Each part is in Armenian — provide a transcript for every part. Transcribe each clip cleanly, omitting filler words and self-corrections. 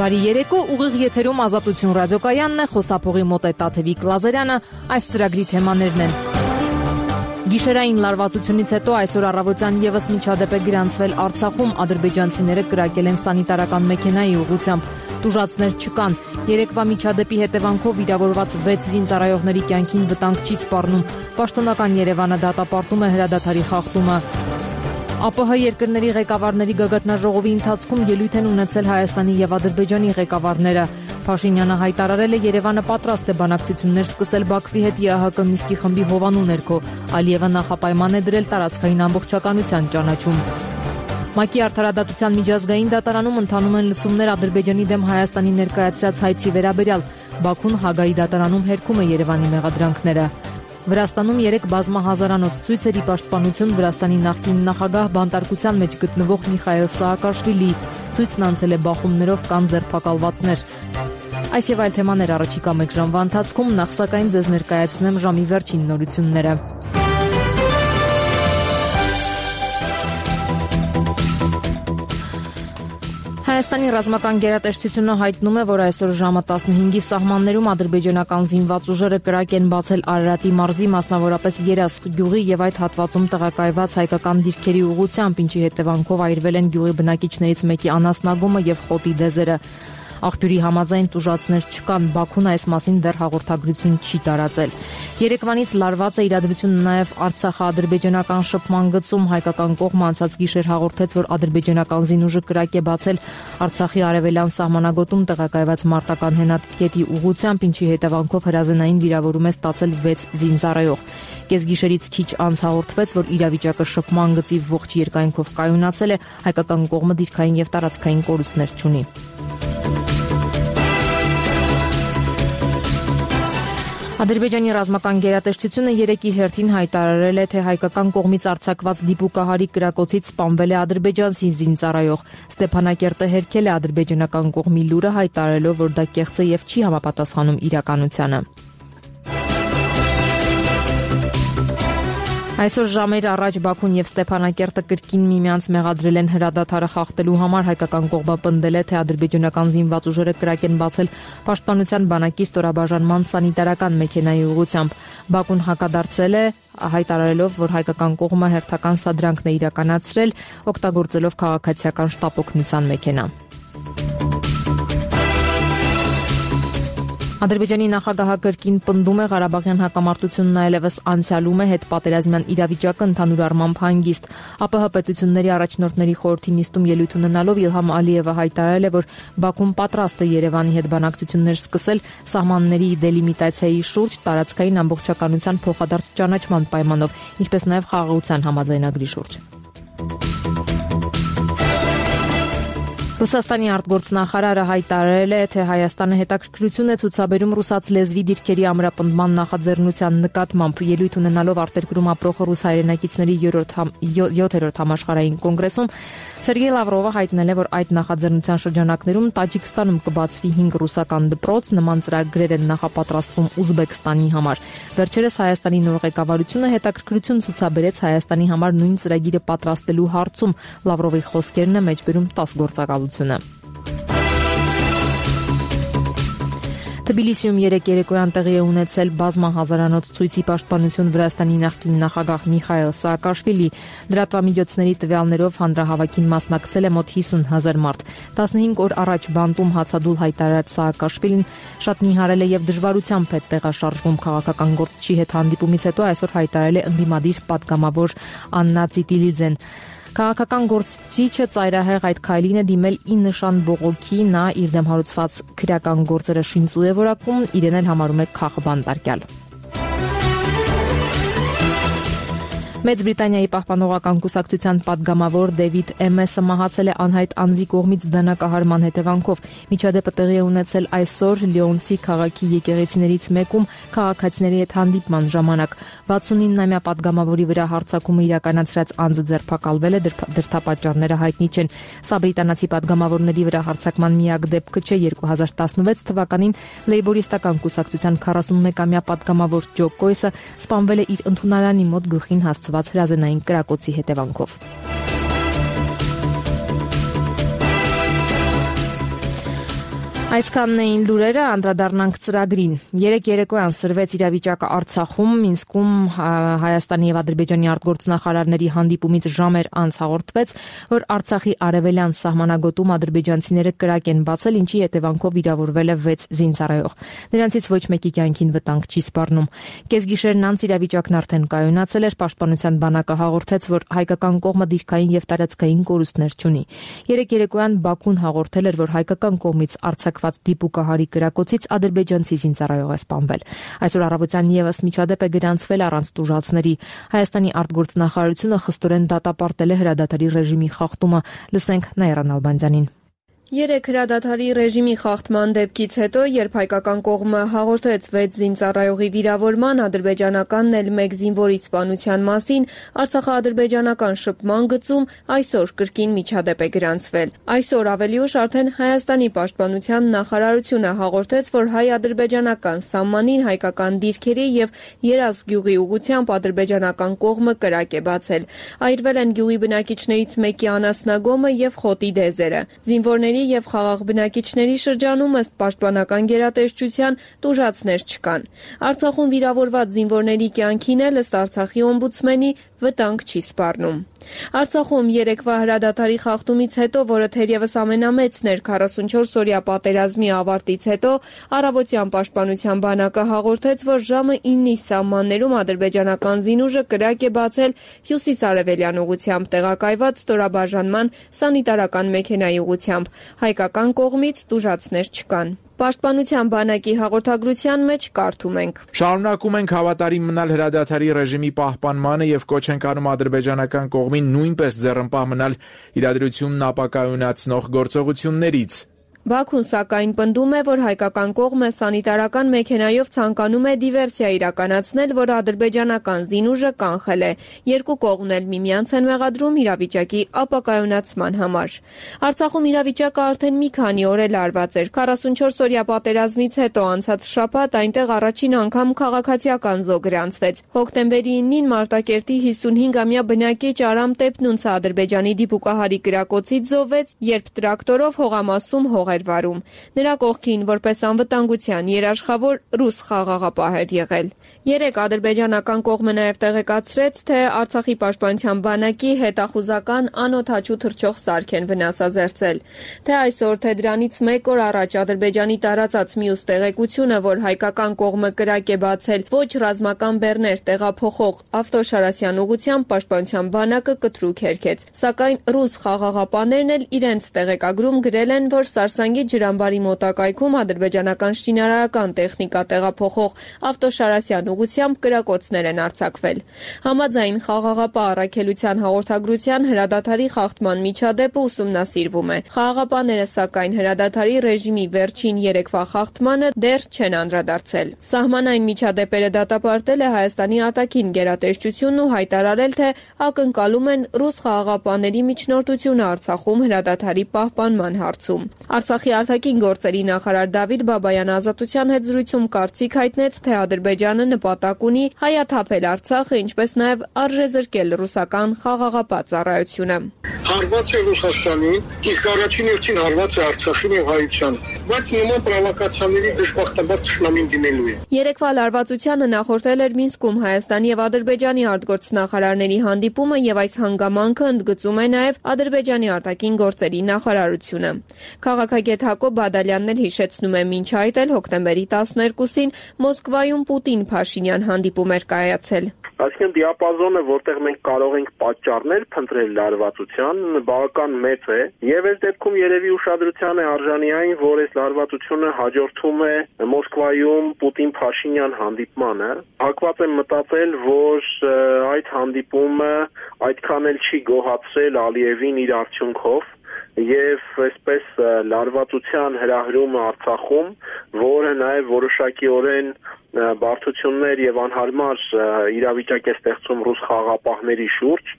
Բարի երեկո, ուղիղ եթերում Ազատություն ռադիոկայանն է, խոսափողի մոտ է Տաթևիկ Լազարյանը, այս ծրագրի թեմաներն են։ Գիշերային լարվածությունից հետո այսօր առավոտյան եւս միջադեպ է գրանցվել Արցախում, ադրբեջանցիները կրակել են սանիտարական մեքենայի ուղղությամբ, տուժածներ չկան։ Երեկվա միջադեպի հետևանքով վիրավորված 6 զինծառայողների կյանքին վտանգ չի սպառնում։ Պաշտոնական Երևանը դատապարտում է հրադադարի խախտումը։ ԱՊՀ երկրների ղեկավարների գագաթնաժողովի ընթացքում ելույթ են ունեցել Հայաստանի եւ Ադրբեջանի ղեկավարները։ Փաշինյանը հայտարարել է Երևանը պատրաստ է բանակցություններ սկսել Բաքվի հետ ԵԱՀԿ Մինսկի խմբի հովանու ներքո։ Ալիևը նախապայման է դրել տարածքային ամբողջականության ճանաչում։ ՄԱԿ-ի արդարադատության միջազգային դատարանում ընթանում են լսումներ Ադրբեջանի դեմ Հայաստանի ներկայացրած հայցի վերաբերյալ։ Բաքուն Հագայի դատարանում հերքում է Երևանի մեղադրանքները։ Վրաստանում 3 բազմահազարանոց ցույցերի պաշտպանություն Վրաստանի նախկին նախագահ բանտարկության մեջ գտնվող Միխայել Սաակաշվիլի ցույցն անցել է բախումներով կան ձերբակալվածներ։ Այս եւ այլ թեմաներ առաջիկա 1 ժամվա ընթացքում, նախ սակայն ձեզ ներկայացնեմ ժամի վերջին նորությունները։ Հայաստանի ռազմական գերատեսչությունը հայտնում է, որ այսօր ժամը 15-ի սահմաններում ադրբեջանական զինված ուժերը կրակ են բացել Արարատի մարզի, մասնավորապես Երասխ գյուղի եւ այդ հատվածում տեղակայված հայկական դիրքերի ուղղությամբ, ինչի հետևանքով այրվել են գյուղի բնակիչներից մեկի անասնագումը եւ խոտի դեզերը։ Աղբյուրի համաձայն տուժածներ չկան, Բաքուն այս մասին դեռ հաղորդագրություն չի տարածել։ Երեկվանից լարված է իրադրությունը նաև Արցախա-ադրբեջանական շփման գծում, հայկական կողմը անցած գիշեր հաղորդեց, որ ադրբեջանական զինուժը կրակ է բացել Արցախի արևելյան սահմանագոտում տեղակայված մարտական հենատկետի ուղղությամբ, ինչի հետևանքով հրազենային վիրավորում է ստացել 6 զինծառայող։ Կեսգիշերից քիչ անց հաղորդվեց, որ իրավիճակը շփման գծի ողջ երկայնքով կայունացել է, հայկական կողմը դիրքային եւ տարածքային կորուստներ չունի։ Ադրբեջանի ռազմական գերատեսչությունը երեկ իր հերթին հայտարարել է, թե հայկական կողմից արձակված դիպուկահարի կրակոցից սպանվել է ադրբեջանցի զինծառայող։ Ստեփանակերտը հերքել է ադրբեջանական կողմի լուրը, հայտարարելով, որ դա կեղծ է եւ չի համապատասխանում իրականությանը։ Այսօր ժամեր առաջ Բաքուն եւ Ստեփանակերտը կրկին միմյանց մեղադրել են հրադադարը խախտելու համար, հայկական կողմը պնդել է, թե ադրբեջանական զինված ուժերը կրակ են բացել Պաշտպանության բանակի ստորաբաժանման սանիտարական մեքենայի ուղղությամբ։ Բաքուն հակադարձել է, հայտարարելով, որ հայկական կողմը հերթական սադրանքն է իրականացրել, օգտագործելով քաղաքացիական շտապ օգնության մեքենա։ Ադրբեջանի նախագահը կրկին պնդում է Ղարաբաղյան հակամարտությունն այլևս անցյալում է, հետպատերազմյան իրավիճակը ընդհանուր առմամբ հանգիստ։ ԱՊՀ պետությունների առաջնորդների խորհրդի նիստում ելույթ ունենալով Իլհամ Ալիևը հայտարարել է, որ Բաքուն պատրաստ է Երևանի հետ բանակցություններ սկսել սահմանների դելիմիտացիայի շուրջ, տարածքային ամբողջականության փոխադարձ ճանաչման պայմանով, ինչպես նաև խաղաղության համաձայնագրի շուրջ։ Ռուսաստանի արտգործնախարարը հայտարարել է, թե Հայաստանը հետաքրքրություն է ցուցաբերում ռուսաց լեզվի դիրքերի ամրապնդման նախաձեռնության նկատմամբ։ Ելույթ ունենալով արտերկրում ապրող ռուս հայրենակիցների 7-րդ համաշխարհային կոնգրեսում Սերգեյ Լավրովը հայտնել է, որ այդ նախաձեռնության շրջանակներում Տաջիկստանում կբացվի 5 ռուսական դպրոց, նման ծրագրեր են նախապատրաստվում Ուզբեկստանի համար։ Վերջերս Հայաստանի նոր ղեկավարությունը հետաքրքրություն ցուցաբերեց Հայաստանի համար նույն ծրագիրը պատրաստելու հարցում։ Լավրովի խոսքերն է մեջբերում 10 գործակալությունը։ Թբիլիսիում երեկ երեկոյան տեղի է ունեցել բազմահազարանոց ցույցի պաշտպանություն Վրաստանի նախկին նախագահ Միխայել Սաակաշվիլի։ Լրատվամիջոցների տվյալներով հանրահավաքին մասնակցել է մոտ 50,000 մարդ։ 15 օր առաջ բանտում հացադուլ հայտարարած Սաակաշվիլին շատ նիհարել է եւ դժվարությամբ է տեղաշարժվում քաղաքական գործչի հետ հանդիպումից հետո այսօր հայտարարել է ընդդիմադիր պատգամավոր Աննա Ցիտիլիձեն։ Քաղաքական գործիչը ծայրահեղ այդ քայլին է դիմել ի նշան բողոքի, նա իր դեմ հարուցված քրեական գործերը շինծու է որակում, իրեն էլ համարում է քաղբանտարկյալ։ Մեծ Բրիտանիայի պահպանողական կուսակցության պատգամավոր Դեվիդ Էմեսը մահացել է անհայտ անձի կողմից դանակահարման հետևանքով։ Միջադեպը տեղի է ունեցել այսօր Լիոնսի քաղաքի եկեղեցիներից մեկում քաղաքացիների հետ հանդիպման ժամանակ։ 69-ամյա պատգամավորի վրա հարձակումը իրականացրած անձը ձերբակալվել է, դրդապատճառները հայտնի չեն։ Սա բրիտանացի պատգամավորների վրա հարձակման միակ դեպքը չէ։ 2016 թվականին Լեյբորիստական կուսակցության 41-ամյա պատգամավոր Ջո Կոյսը սպանվել է իր ընդունարանի մոտ գլխին հասցված հրազենային կրակոցի հետևանքով։ Այսքանն էին լուրերը, անդրադառնանք ծրագրին։ Երեկ երեկոյան սրվեց իրավիճակը Արցախում, Մինսկում Հայաստանի եւ Ադրբեջանի արտգործնախարարների հանդիպումից ժամեր անց հաղորդվեց, որ Արցախի արևելյան սահմանագոտում ադրբեջանցիները կրակ են բացել, ինչի հետևանքով վիրավորվել է 6 զինծառայող։ Նրանցից ոչ մեկի կյանքին վտանգ չի սպառնում։ Կեսգիշերն անց իրավիճակն արդեն կայունացել էր, Պաշտպանության բանակը հաղորդեց, որ հայկական կողմը դիրքային եւ տարածքային կորուստներ չունի։ Երեկ երեկոյան Բաքուն հաղորդել էր, որ հայկական կողմից արձակված դիպուկահարի կրակոցից ադրբեջանցի զինծառայող է սպանվել։ Այսօր առավոտյան եւս միջադեպ է գրանցվել առանց տուժածների։ Հայաստանի արտգործնախարարությունը խստորեն դատապարտել է հրադադարի ռեժիմի խախտումը։ Լսենք Նաիրա Նալբանդյանին։ Երեկ հրադադարի ռեժիմի խախտման դեպքից հետո, երբ հայկական կողմը հաղորդեց 6 զինծառայողի վիրավորման, ադրբեջանականն էլ 1 զինվորի սպանության մասին, Արցախա-ադրբեջանական շփման գծում այսօր կրկին միջադեպ է գրանցվել։ Այսօր ավելի ուշ արդեն Հայաստանի պաշտպանության նախարարությունը հաղորդեց, որ հայ-ադրբեջանական սահմանին հայկական դիրքերի եւ Երազ գյուղի ուղղությամբ ադրբեջանական կողմը կրակ է բացել։ Այրվել են գյուղի բնակիչներից մեկի անասնագոմը եւ խոտի դեզերը։ Զինվորների եւ խաղաղ բնակիչների շրջանում ըստ պաշտպանական գերատեսչության տուժածներ չկան։ Արցախում վիրավորված զինվորների կյանքին էլ ըստ Արցախի օմբուդսմենի վտանգ չի սպառնում։ Արցախում երեկվա հրադադարի խախտումից հետո, որը թերևս ամենամեծն էր 44-օրյա պատերազմի ավարտից հետո, առավոտյան պաշտպանության բանակը հաղորդեց, որ ժամը 9-ի սահմաններում ադրբեջանական զինուժը կրակ է բացել հյուսիս-արևելյան ուղղությամբ տեղակայված ստորաբաժանման սանիտարական մեքենայի ուղղությամբ։ Հայկական կողմից տուժածներ չկան։ Պաշտպանության բանակի հաղորդագրության մեջ կարդում ենք. Շարունակում ենք հավատարիմ մնալ հրադադարի ռեժիմի պահպանմանը եւ կոչ ենք անում ադրբեջանական կողմին նույնպես ձեռնպահ մնալ իրադրությունն ապակայունացնող գործողություններից։ Բաքուն սակայն պնդում է, որ հայկական կողմը սանիտարական մեքենայով ցանկանում է դիվերսիա իրականացնել, որ ադրբեջանական զինուժը կանխել է։ Երկու կողմն էլ միմյանց են մեղադրում իրավիճակի ապակայունացման համար։ Արցախում իրավիճակը արդեն մի քանի օր է լարված էր։ 44-օրյա պատերազմից հետո անցած շաբաթ այնտեղ առաջին անգամ քաղաքացիական զոհ գրանցվեց։ Հոկտեմբերի 9-ին Մարտակերտի 55-ամյա բնակիչ Արամ Տեպնունցը Ադրբեջանի դիպուկահարի կրակոցից զոհվեց, երբ տրակտորով հողամասում հող էր վարում։ Նրա կողքին որպես անվտանգության երաշխավոր ռուս խաղաղապահ էր եղել։ Երեկ ադրբեջանական կողմը նաև տեղեկացրեց, թե Արցախի պաշտպանության բանակի հետախուզական անօդաչու թռչող սարք են վնասազերծել։ Թե այսօր, թե դրանից 1 օր առաջ Ադրբեջանի տարածած մյուս տեղեկությունը, որ հայկական կողմը կրակ է բացել ոչ ռազմական բեռներ տեղափոխող Ավտոշարասյան ուղղությամբ, պաշտպանության բանակը կտրուկ հերքեց։ Սակայն ռուս խաղաղապահներն էլ իրենց տեղեկագրում գրել են, որ Սարսանգի ջրամբարի մոտակայքում ադրբեջանական շինարարական տեխնիկա տեղափոխող Ավտոշարասյան ուղղությամբ կրակոցներ են արձակվել։ Համաձայն խաղաղապահ առաքելության հաղորդագրության հրադադարի խախտման միջադեպը ուսումնասիրվում է։ Խաղաղապահները սակայն հրադադարի ռեժիմի վերջին երեկվա խախտմանը դեռ չեն անդրադարձել։ Սահմանային միջադեպերը դատապարտել է Հայաստանի արտաքին գերատեսչությունն ու հայտարարել, թե ակնկալում են ռուս խաղաղապահների միջնորդությունը Արցախում հրադադարի պահպանման հարցում։ Արցախի արտաքին գործերի նախարար Դավիթ Բաբայան Ազատության հետ զրույցում կարծիք հայտնեց, թե Ադրբեջանը նպատակ ունի հայաթափել Արցախը, ինչպես նաև արժեզրկել ռուսական խաղաղապահ ծառայությունը։ Հարված է Ռուսաստանին, իսկ առաջին հերթին հարված է Արցախին եւ հայությանը, բայց նման պրովոկացիաների դժբախտաբար ճշնամին դիմելու է։ Երեկվա լարվածությանը նախորդել էր Մինսկում Հայաստանի եւ Ադրբեջանի արտգործնախարարների հանդիպումը եւ այս հանգամանքը ընդգծում է նաև Ադրբեջանի արտաքին գործերի նախարարությունը։ Քաղաքագետ Հակոբ Բադալյանն էլ հիշեցնում է, մինչ այդ էլ հոկտեմբերի 12-ին Մոսկվայում Պուտին-Փաշինյան հանդիպում էր կայացել։ Այսինքն դիապազոնը, որտեղ մենք կարող ենք պատճառներ փնտրել լարվածության, բավական մեծ է, եւ այս դեպքում երևի ուշադրության է արժանի այն, որ այս լարվածությունը հաջորդում է Մոսկվայում Պուտին-Փաշինյան հանդիպմանը։ Հակված եմ մտածել, որ այդ հանդիպումը այդքան էլ չի գոհացրել Ալիևին իր արդյունքով եւ այսպես լարվածության հրահրումը Արցախում, որը նաեւ որոշակիորեն բարդություններ եւ անհարմար իրավիճակ է ստեղծում ռուս խաղաղապահների շուրջ,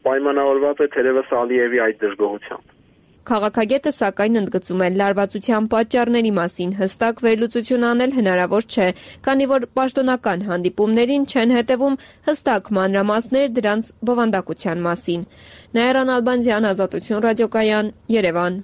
պայմանավորված է թերևս Ալիևի այդ դժգոհությամբ։ Քաղաքագետը սակայն ընդգծում է, լարվածության պատճառների մասին հստակ վերլուծություն անել հնարավոր չէ, քանի որ պաշտոնական հանդիպումներին չեն հետևում հստակ մանրամասներ դրանց բովանդակության մասին։ Նաիրա Նալբանդյան, Ազատություն ռադիոկայան, Երևան։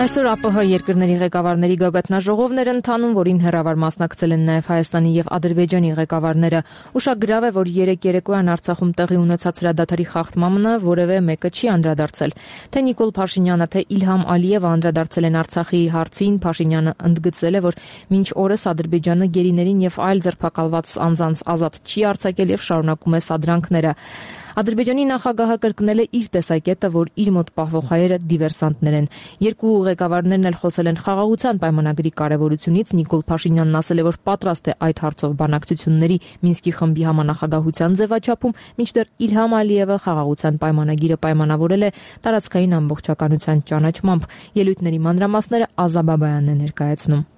Այսօր ԱՊՀ երկրների ղեկավարների գագաթնաժողովն էր ընթանում, որին հեռավար մասնակցել են նաև Հայաստանի եւ Ադրբեջանի ղեկավարները։ Ուշագրավ է, որ երեկ երեկոյան Արցախում տեղի ունեցած հրադադարի խախտմանը որևէ մեկը չի անդրադարձել։ Թե Նիկոլ Փաշինյանը, թե Իլհամ Ալիևը անդրադարձել են Արցախի հարցին, Փաշինյանը ընդգծել է, որ մինչ օրս Ադրբեջանը գերիներին եւ այլ ձերբակալված անձանց ազատ չի արձակել եւ շարունակում է սադրանքները։ Ադրբեջանի նախագահը կրկնել է իր տեսակետը, որ իր մոտ պահվող հայերը դիվերսանտներ են։ Երկու ղեկավարներն էլ խոսել են խաղաղության պայմանագրի կարևորությունից։ Նիկոլ Փաշինյանն ասել է, որ պատրաստ է այդ հարցով բանակցությունների Մինսկի խմբի համանախագահության ձևաչափում, մինչդեռ Իլհամ Ալիևը խաղաղության պայմանագիրը պայմանավորել է տարածքային ամբողջականության ճանաչմամբ։ Ելույթների մանրամասները Ազա Բաբայանն է ներկայացնում։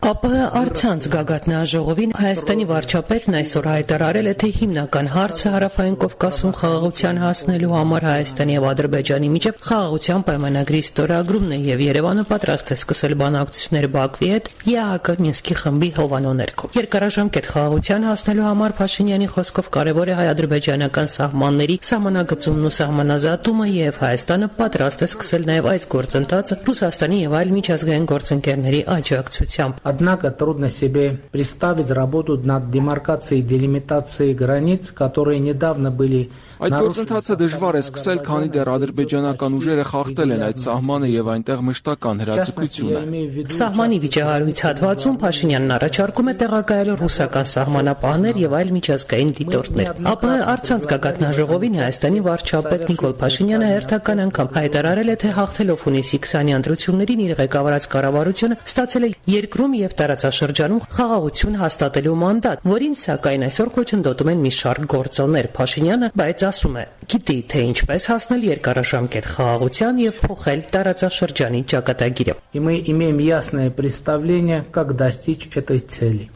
ԱՊՀ առցանց գագաթնաժողովին Հայաստանի վարչապետն այսօր հայտարարել է, թե հիմնական հարցը Հարավային Կովկասում խաղաղության հասնելու համար Հայաստանի եւ Ադրբեջանի միջև խաղաղության պայմանագրի ստորագրումն է եւ Երևանը պատրաստ է սկսել բանակցություններ Բաքվի հետ ԵԱՀԿ Մինսկի խմբի հովանու ներքո։ Երկարաժամկետ խաղաղության հասնելու համար Փաշինյանի խոսքով կարևոր է հայ-ադրբեջանական սահմանների սահմանագծումն ու սահմանազատումը եւ Հայաստանը պատրաստ է սկսել նաեւ այս գործընթացը Ռուսաստանի եւ այլ միջազգային գործընկերների աջակցությամբ։ Однако трудно себе представить работу над демаркацией и делимитацией границ, которые недавно были Այդ գործընթացը դժվար է սկսել, քանի դեռ ադրբեջանական ուժերը խախտել են այդ սահմանը եւ այնտեղ մշտական հրաձգություն է։ Սահմանի վիճահարույց հատվածում Փաշինյանն առաջարկում է տեղակայել ռուսական սահմանապահներ եւ այլ միջազգային դիտորդներ։ ԱՊՀ առցանց գագաթնաժողովին Հայաստանի վարչապետ Նիկոլ Փաշինյանը հերթական անգամ հայտարարել է, թե հաղթելով հունիսի 20-ի ընտրություններին իր ղեկավարած կառավարությունը ստացել է երկրում եւ տարածաշրջանում խաղաղություն հաստատելու մանդատ, որին սակայն այսօր խոչընդոտում են մի շարք գործոններ։ Փաշինյանը բայց ասում է, գիտի, թե ինչպես հասնել երկարաժամկետ խաղաղության եւ փոխել տարածաշրջանի ճակատագիրը։ И мы имеем ясное представление, как достичь этой цели.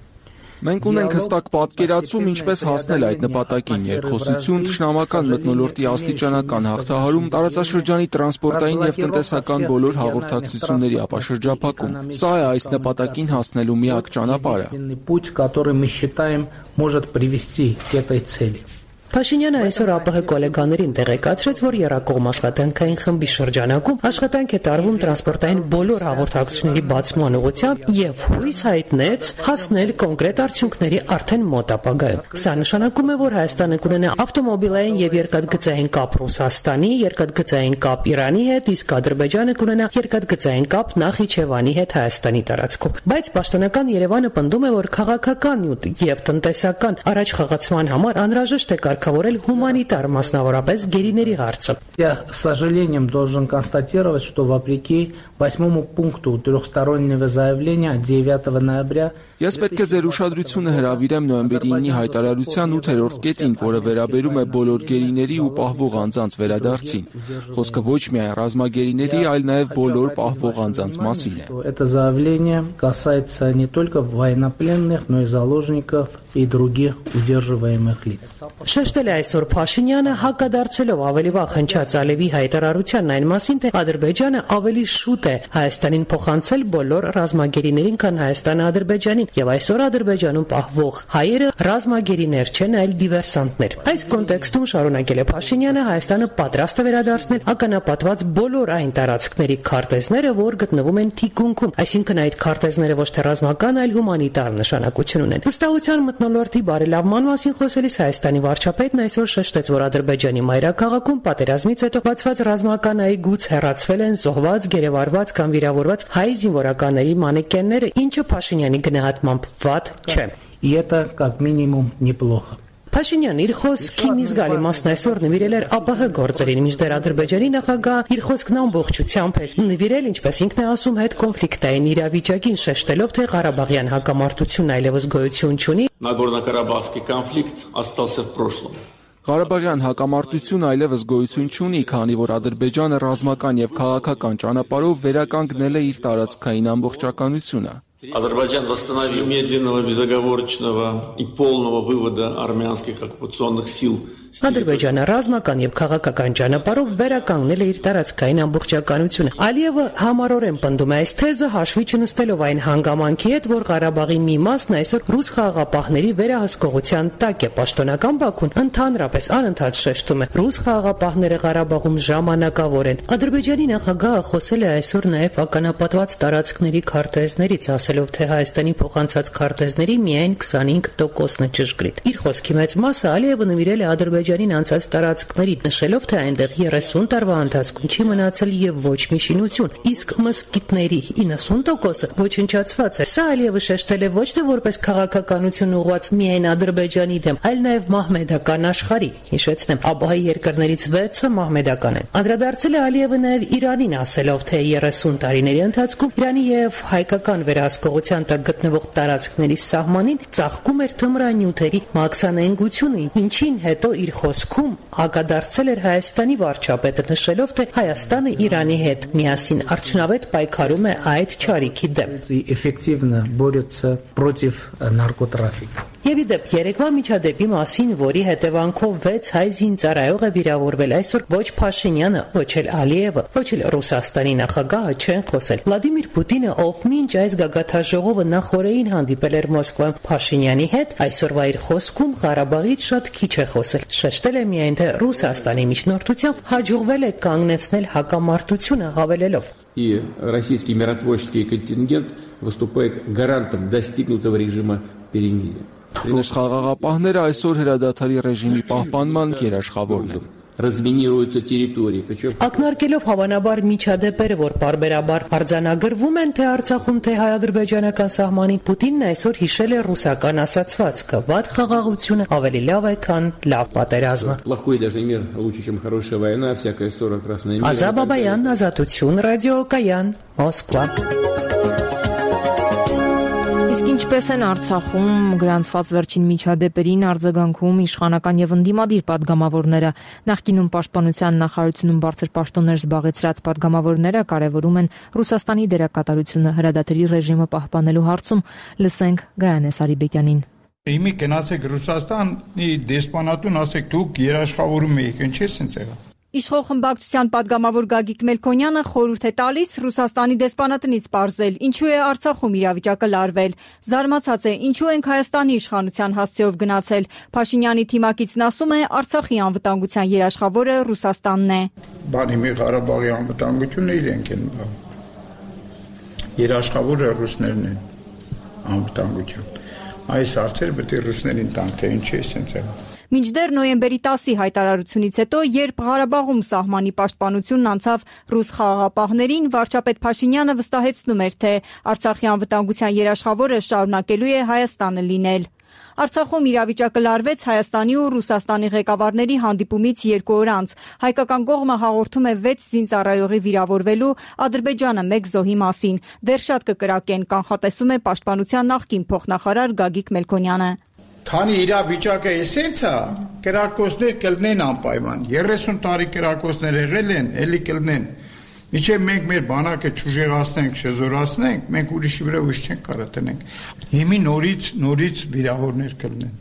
Մենք ունենք հստակ պատկերացում, ինչպես հասնել այդ նպատակին՝ երկխոսություն, թշնամական մթնոլորտի աստիճանական հաղթահարում, տարածաշրջանի տրանսպորտային եւ տնտեսական բոլոր հաղորդակցությունների ապաշրջափակում։ Սա է այս նպատակին հասնելու միակ ճանապարհը։ Путь, который мы считаем, может привести к этой цели. Փաշինյանը այսօր ԱՊՀ գոլեգաներին տեղեկացրեց, որ Եռակողմ աշխատանքային խմբի շրջանակում աշխատանք է տարվում տրանսպորտային բոլոր հաղորդակցությունների բացման ուղղությամբ եւ հույս հայտնեց հասնել կոնկրետ արդյունքների արդեն մոտ ապագայում։ Սա նշանակում է, որ Հայաստանը կունենա ավտոմոբիլային եւ երկաթգծային կապ Ռուսաստանի, երկաթգծային կապ Իրանի հետ, իսկ Ադրբեջանը կունենա երկաթգծային կապ Նախիջևանի հետ Հայաստանի տարածքով։ Բայց պաշտոնական Երևանը պնդում է, որ քաղաքական եւ տնտեսական առաջխաղացման համար անհրաժեշտ է կարգավորել հումանիտար, մասնավորապես գերիների հարցը։ Я с сожалением должен констатировать, что вопреки 8 пункту трехстороннего заявления 9 ноября Ես պետք է ձեր ուշադրությունը հրավիրեմ նոյեմբերի 9-ի հայտարարության 8-րդ կետին, որը վերաբերում է բոլոր գերիների ու պահվող անձանց վերադարձին։ Խոսքը ոչ միայն ռազմագերիների, այլ նաև բոլոր պահվող անձանց մասին է։ Это заявление касается не только военнопленных, но и заложников и других удерживаемых лиц. Շեշտել է այսօր Փաշինյանը, հակադարձելով ավելի վաղ հնչած Ալիևի հայտարարությանն այն մասին, թե Ադրբեջանը ավելի շուտ է Հայաստանին փոխանցել բոլոր ռազմագերիներին, քան Հայաստանը Ադրբեջանին, եւ այսօր Ադրբեջանում պահվող հայերը ռազմագերիներ չեն, այլ դիվերսանտներ։ Այս կոնտեքստում շարունակել է Փաշինյանը, Հայաստանը պատրաստ է վերադարձնել ականապատված բոլոր այն տարածքների քարտեզները, որ գտնվում են թիկունքում, այսինքն այդ քարտեզները ոչ թե ռազմական, այլ հումանիտար նշանակություն ունեն։ Վստահության մթնոլորտի բարելավման մասին խոսելիս Հայաստանի վարչապետն այսօր շեշտեց, որ Ադրբեջանի մայրաքաղաքում պատերազմից հետո բացված ռազմական այգուց հեռացվել են զոհված, գերեվարված կամ վիրավորված հայ զինվորականների մանեկենները, ինչը Փաշինյանի գնահատմամբ վատ չէ։ И это как минимум неплохо. Փաշինյանը իր խոսքի մի զգալի մասն այսօր նվիրել էր ԱՊՀ գործերին, մինչդեռ Ադրբեջանի նախագահ իր խոսքն ամբողջությամբ էր նվիրել, ինչպես ինքն է ասում, հետ կոնֆլիկտային իրավիճակին, շեշտելով, թե Ղարաբաղյան հակամարտությունն այլևս գոյություն չունի։ Нагорно-Карабахский конфликт остался в прошлом. Ղարաբաղյան հակամարտությունն այլևս գոյություն չունի, քանի որ Ադրբեջանը ռազմական եւ քաղաքական ճանապարհով վերականգնել է իր տարածքային ամբողջականությունը։ Азербайджан восстановил медленного, безоговорочного и полного вывода армянских оккупационных сил Ադրբեջանը ռազմական եւ քաղաքական ճանապարհով վերականգնել է իր տարածքային ամբողջականությունը։ Ալիևը համառորեն պնդում է այս թեզը, հաշվի չնստելով այն հանգամանքի հետ, որ Ղարաբաղի մի մասն այսօր ռուս խաղաղապահների վերահսկողության տակ է։ Պաշտոնական Բաքուն ընդհանրապես անընդհատ շեշտում է, ռուս խաղաղապահները Ղարաբաղում ժամանակավոր են։ Ադրբեջանի նախագահը խոսել է այսօր նաև ականապատված տարածքների քարտեզներից, ասելով, թե Հայաստանի փոխանցած քարտեզների միայն 25%-ն է ճշգրիտ։ Իր խոսքի մեծ մասը Ալիևը նվիրել է Ադրբեջանին անցած տարածքներին, նշելով, թե այնտեղ 30 տարվա ընթացքում չի մնացել եւ ոչ մի շինություն, իսկ մզկիթների 90%-ը ոչնչացված է։ Սա Ալիևը շեշտել է ոչ թե որպես քաղաքականություն ուղղված միայն Ադրբեջանի դեմ, այլ նաև մահմեդական աշխարհի։ Հիշեցնեմ, ԱԲՀ-ի երկրներից 6-ը մահմեդական են։ Անդրադարձել է Ալիևը նաև Իրանին, ասելով, թե 30 տարիների ընթացքում Իրանի եւ հայկական վերահսկողության տակ գտնվող տարածքների սահմանին ծաղկում էր թմրանյութերի մաքսանենգությունը, ինչին հետո իր խոսքում հակադարձել էր Հայաստանի վարչապետը, նշելով, թե Հայաստանը Իրանի հետ միասին արդյունավետ պայքարում է այդ չարիքի դեմ։ Էֆեկտիվնը բորется против наркотрафика։ Եվ ի դեպ երեկվա միջադեպի մասին, որի հետևանքով 6 հայ զինծառայող է վիրավորվել, այսօր ոչ Փաշինյանը, ոչ էլ Ալիևը, ոչ էլ Ռուսաստանի նախագահը չեն խոսել։ Վլադիմիր Պուտինը, ով մինչ այս գագաթաժողովը նախօրեին հանդիպել էր Մոսկվայում Փաշինյանի հետ, այսօրվա իր խոսքում Ղարաբաղից շատ քիչ է խոսել։ Շեշտել է միայն, թե Ռուսաստանի միջնորդությամբ հաջողվել է կանգնեցնել հակամարտությունը, հավելելով. И российский миротворческий контингент выступает гарантом достигнутого режима перемирия. Ռուս խաղաղապահները այսօր հրադադարի ռեժիմի պահպանման երաշխավորն են։ Разминируются территории, причем ակնարկելով հավանաբար միջադեպերը, որ բարբերաբար արձանագրվում են թե Արցախում, թե հայ-ադրբեջանական սահմանին, Պուտինն այսօր հիշել է ռուսական ասացվածքը. «Վատ խաղաղությունը ավելի լավ է, քան լավ պատերազմը»։ плохой даже мир лучше, чем хорошая война, всякая ссора красная мира. Ազատ Բաբայան, Ազատություն, ռադիոկայան, Մոսկվա։ Իսկ ինչպես են Արցախում գրանցված վերջին միջադեպերին արձագանքում իշխանական եւ ընդդիմադիր падգամավորները, նախկինում պաշտպանության նախարարությունում բարձր պաշտոններ զբաղեցրած падգամավորները կարևորում են Ռուսաստանի դերակատարությունը հրադադարի ռեժիմը պահպանելու հարցում, լսենք Գայանե Սարիբեկյանին։ Իմի գնացեք Ռուսաստանի դեսպանատուն, ասեք դուք երաշխավորում եք, ինչ է սենց եղա։ Իշխող խմբակցության падգամավոր Գագիկ Մելքոնյանը խորհուրդ է տալիս Ռուսաստանի դեսպանատնից պարզել, ինչու է Արցախում իրավիճակը լարվել։ Զարմացած է, ինչու ենք Հայաստանի իշխանության հասցեով գնացել։ Փաշինյանի թիմակիցն ասում է, Արցախի անվտանգության երաշխավորը Ռուսաստանն է։ Բանի մի Ղարաբաղի անվտանգությունը իրենք են բան։ Երաշխավորը ռուսներն են անվտանգություն։ Այս հարցերը պետք է ռուսներին տանք, թե ինչ է սենց եղա։ Մինչդեռ նոյեմբերի 10-ի հայտարարությունից հետո, երբ Ղարաբաղում սահմանի պաշտպանությունն անցավ ռուս խաղաղապահներին, վարչապետ Փաշինյանը վստահեցնում էր, թե Արցախի անվտանգության երաշխավորը շարունակելու է Հայաստանը լինել։ Արցախում իրավիճակը լարվեց Հայաստանի ու Ռուսաստանի ղեկավարների հանդիպումից 2 օր անց։ Հայկական կողմը հաղորդում է 6 զինծառայողի վիրավորվելու, Ադրբեջանը 1 զոհի մասին։ Դեռ շատ կկրակեն, կանխատեսում է պաշտպանության նախկին փոխնախարար Գագիկ Մելքոնյանը։ Քանի իրավիճակը էսենց է, կրակոցներ կլնեն անպայման։ 30 տարի կրակոցներ եղել են, էլի կլնեն։ Միջև մենք մեր բանակը չուժեղացնենք, չզորացնենք, մենք ուրիշի վրա ուժ չենք կարող տնենք։ Հիմի նորից վիրավորներ կլնեն։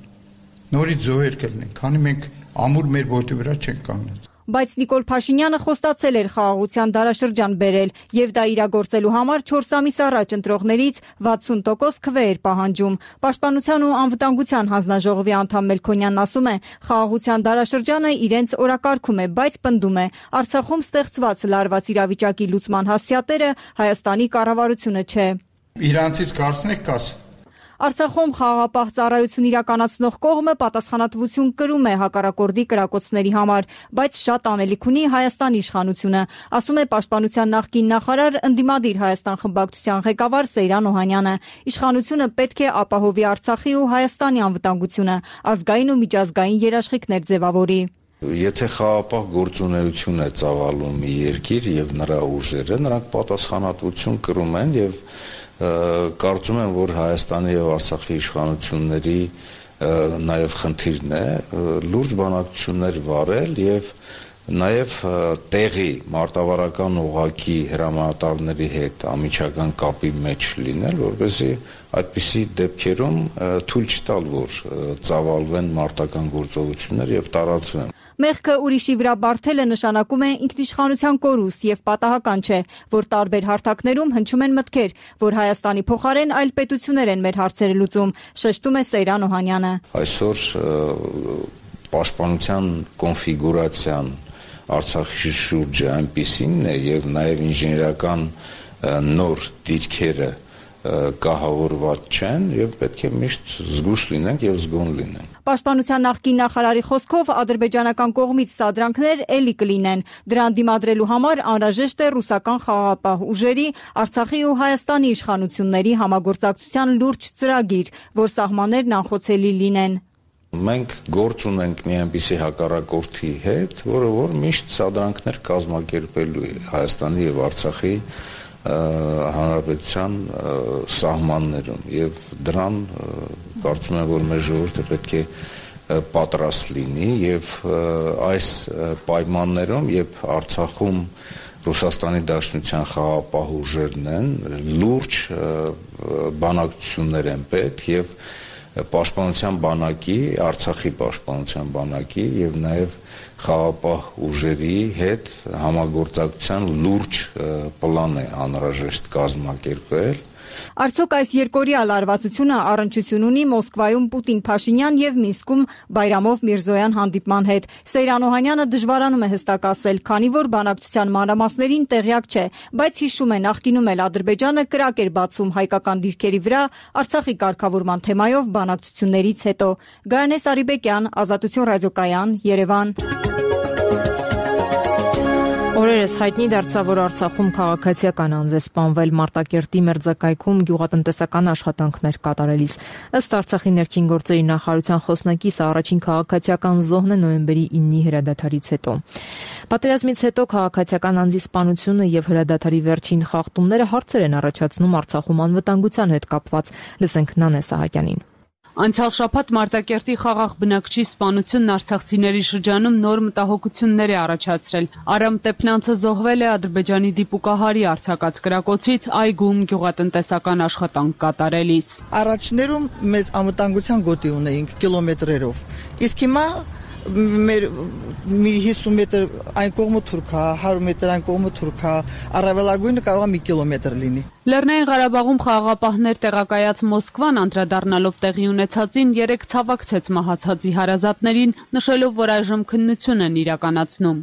Նորից զոհեր կլնեն, քանի մենք ամուր մեր ոտի վրա չենք կանգնած։ Բայց Նիկոլ Փաշինյանը խոստացել էր խաղաղության դարաշրջան բերել եւ դա իրագործելու համար 4 ամիս առաջ ընտրողներից 60% քվե էր պահանջում։ Պաշտպանության ու անվտանգության հանձնաժողովի անդամ Մելքոնյանն ասում է, խաղաղության դարաշրջանը իրենց օրակարգում է, բայց պնդում է, Արցախում ստեղծված լարված իրավիճակի լուծման հասցեատերը Հայաստանի կառավարությունը չէ։ Իրանցից կարծնեք կաս։ Արցախում խաղաղապահ ծառայություն իրականացնող կողմը պատասխանատվություն կրում է հակառակորդի կրակոցների համար, բայց շատ անելիք ունի Հայաստանի իշխանությունը, ասում է պաշտպանության նախկին նախարար ընդդիմադիր Հայաստան խմբակցության ղեկավար Սեյրան Օհանյանը։ Իշխանությունը պետք է ապահովի Արցախի ու Հայաստանի անվտանգությունը, ազգային ու միջազգային երաշխիքներ ձևավորի։ Եթե խաղաղապահ գործունեություն է ծավալում մի երկիր եւ նրա ուժերը, նրանք պատասխանատվություն կրում են եւ կարծում եմ, որ Հայաստանի եւ Արցախի իշխանությունների նաեւ խնդիրն է լուրջ բանակցություններ վարել եւ Նաև տեղի մարտավարական ուղղակի հրամանատարների հետ ամիջական կապի մեջ լինել, որպեսզի այդպիսի դեպքերում թույլ չտալ, որ ծավալվեն մարտական գործողություններ եւ տարածվեն։ Մեղքը ուրիշի վրա բարթելը նշանակում է ինքնիշխանության կորուստ եւ պատահական չէ, որ տարբեր հարթակներում հնչում են մտքեր, որ Հայաստանի փոխարեն այլ պետություններ են մեր հարցերը լուծում, շեշտում է Սեյրան Օհանյանը։ Այսօր պաշտպանության կոնֆիգուրացիան Արցախի շուրջը այնպիսին է եւ նաեւ ինժեներական նոր դիրքերը կահավորված չեն եւ պետք է միշտ զգուշ լինենք եւ զգոն լինենք։ Պաշտպանության նախկին նախարարի խոսքով ադրբեջանական կողմից սադրանքներ էլի կլինեն։ Դրան դիմադրելու համար անհրաժեշտ է ռուսական խաղաղապահ ուժերի, Արցախի ու Հայաստանի իշխանությունների համագործակցության լուրջ ծրագիր, որ սահմաններն անխոցելի լինեն։ Մենք գործ ունենք մի այնպիսի հակառակորդի հետ, որ միշտ սադրանքներ կազմակերպելու է Հայաստանի եւ Արցախի հանրապետության սահմաններում եւ դրան կարծում եմ, որ մեր ժողովուրդը պետք է պատրաստ լինի եւ այս պայմաններում, երբ Արցախում Ռուսաստանի Դաշնության խաղաղապահ ուժերն են, լուրջ բանակցություններ են պետք եւ Պաշտպանության բանակի, Արցախի պաշտպանության բանակի եւ նաեւ խաղաղապահ ուժերի հետ համագործակցության լուրջ պլան է անհրաժեշտ կազմակերպել։ Արդյոք այս երկօրյա լարվածությունը առնչություն ունի Մոսկվայում Պուտին-Փաշինյան եւ Մինսկում Բայրամով-Միրզոյան հանդիպման հետ։ Սեյրան Օհանյանը դժվարանում է հստակ ասել, քանի որ բանակցության մանրամասներին տեղյակ չէ, բայց հիշում է նախկինում էլ Ադրբեջանը կրակ էր բացում հայկական դիրքերի վրա Արցախի կարգավորման թեմայով բանակցություններից հետո։ Գայանե Սարիբեկյան, Ազատություն ռադիոկայան, Երևան։ Օրերս հայտնի դարձավ, որ Արցախում քաղաքացիական անձ է սպանվել Մարտակերտի մերձակայքում գյուղատնտեսական աշխատանքներ կատարելիս։ Ըստ Արցախի ներքին գործերի նախարարության խոսնակից առաջին քաղաքացիական զոհն է նոյեմբերի 9-ի հրադադարից հետո։ Պատերազմից հետո քաղաքացիական անձի սպանությունը եւ հրադադարի վերջին խախտումները հարցեր են առաջացնում Արցախում անվտանգության հետ կապված։ Լսենք Նանե Սահակյանին։ Անցյալ շաբաթ Մարտակերտի խաղաղ բնակչի սպանությունն արցախցիների շրջանում նոր մտահոգություններ է առաջացրել։ Արամ Տեփլյանցը զոհվել է Ադրբեջանի դիպուկահարի արձակած կրակոցից այգում գյուղատնտեսական աշխատանք կատարելիս։ Առաջներում մեզ անվտանգության գոտի ունեինք կիլոմետրերով, իսկ հիմա մեր մի 50 մետր այն կողմը թուրքա, 100 մետր այն կողմը թուրքա, առավելագույնը կարող է 1 կիլոմետր լինի։ Լեռնային Ղարաբաղում խաղաղապահներ տեղակայած Մոսկվան անդրադառնալով տեղի ունեցածին երեք ցավակցեց մահացածի հարազատներին, նշելով, որ այժմ քննություն են իրականացնում։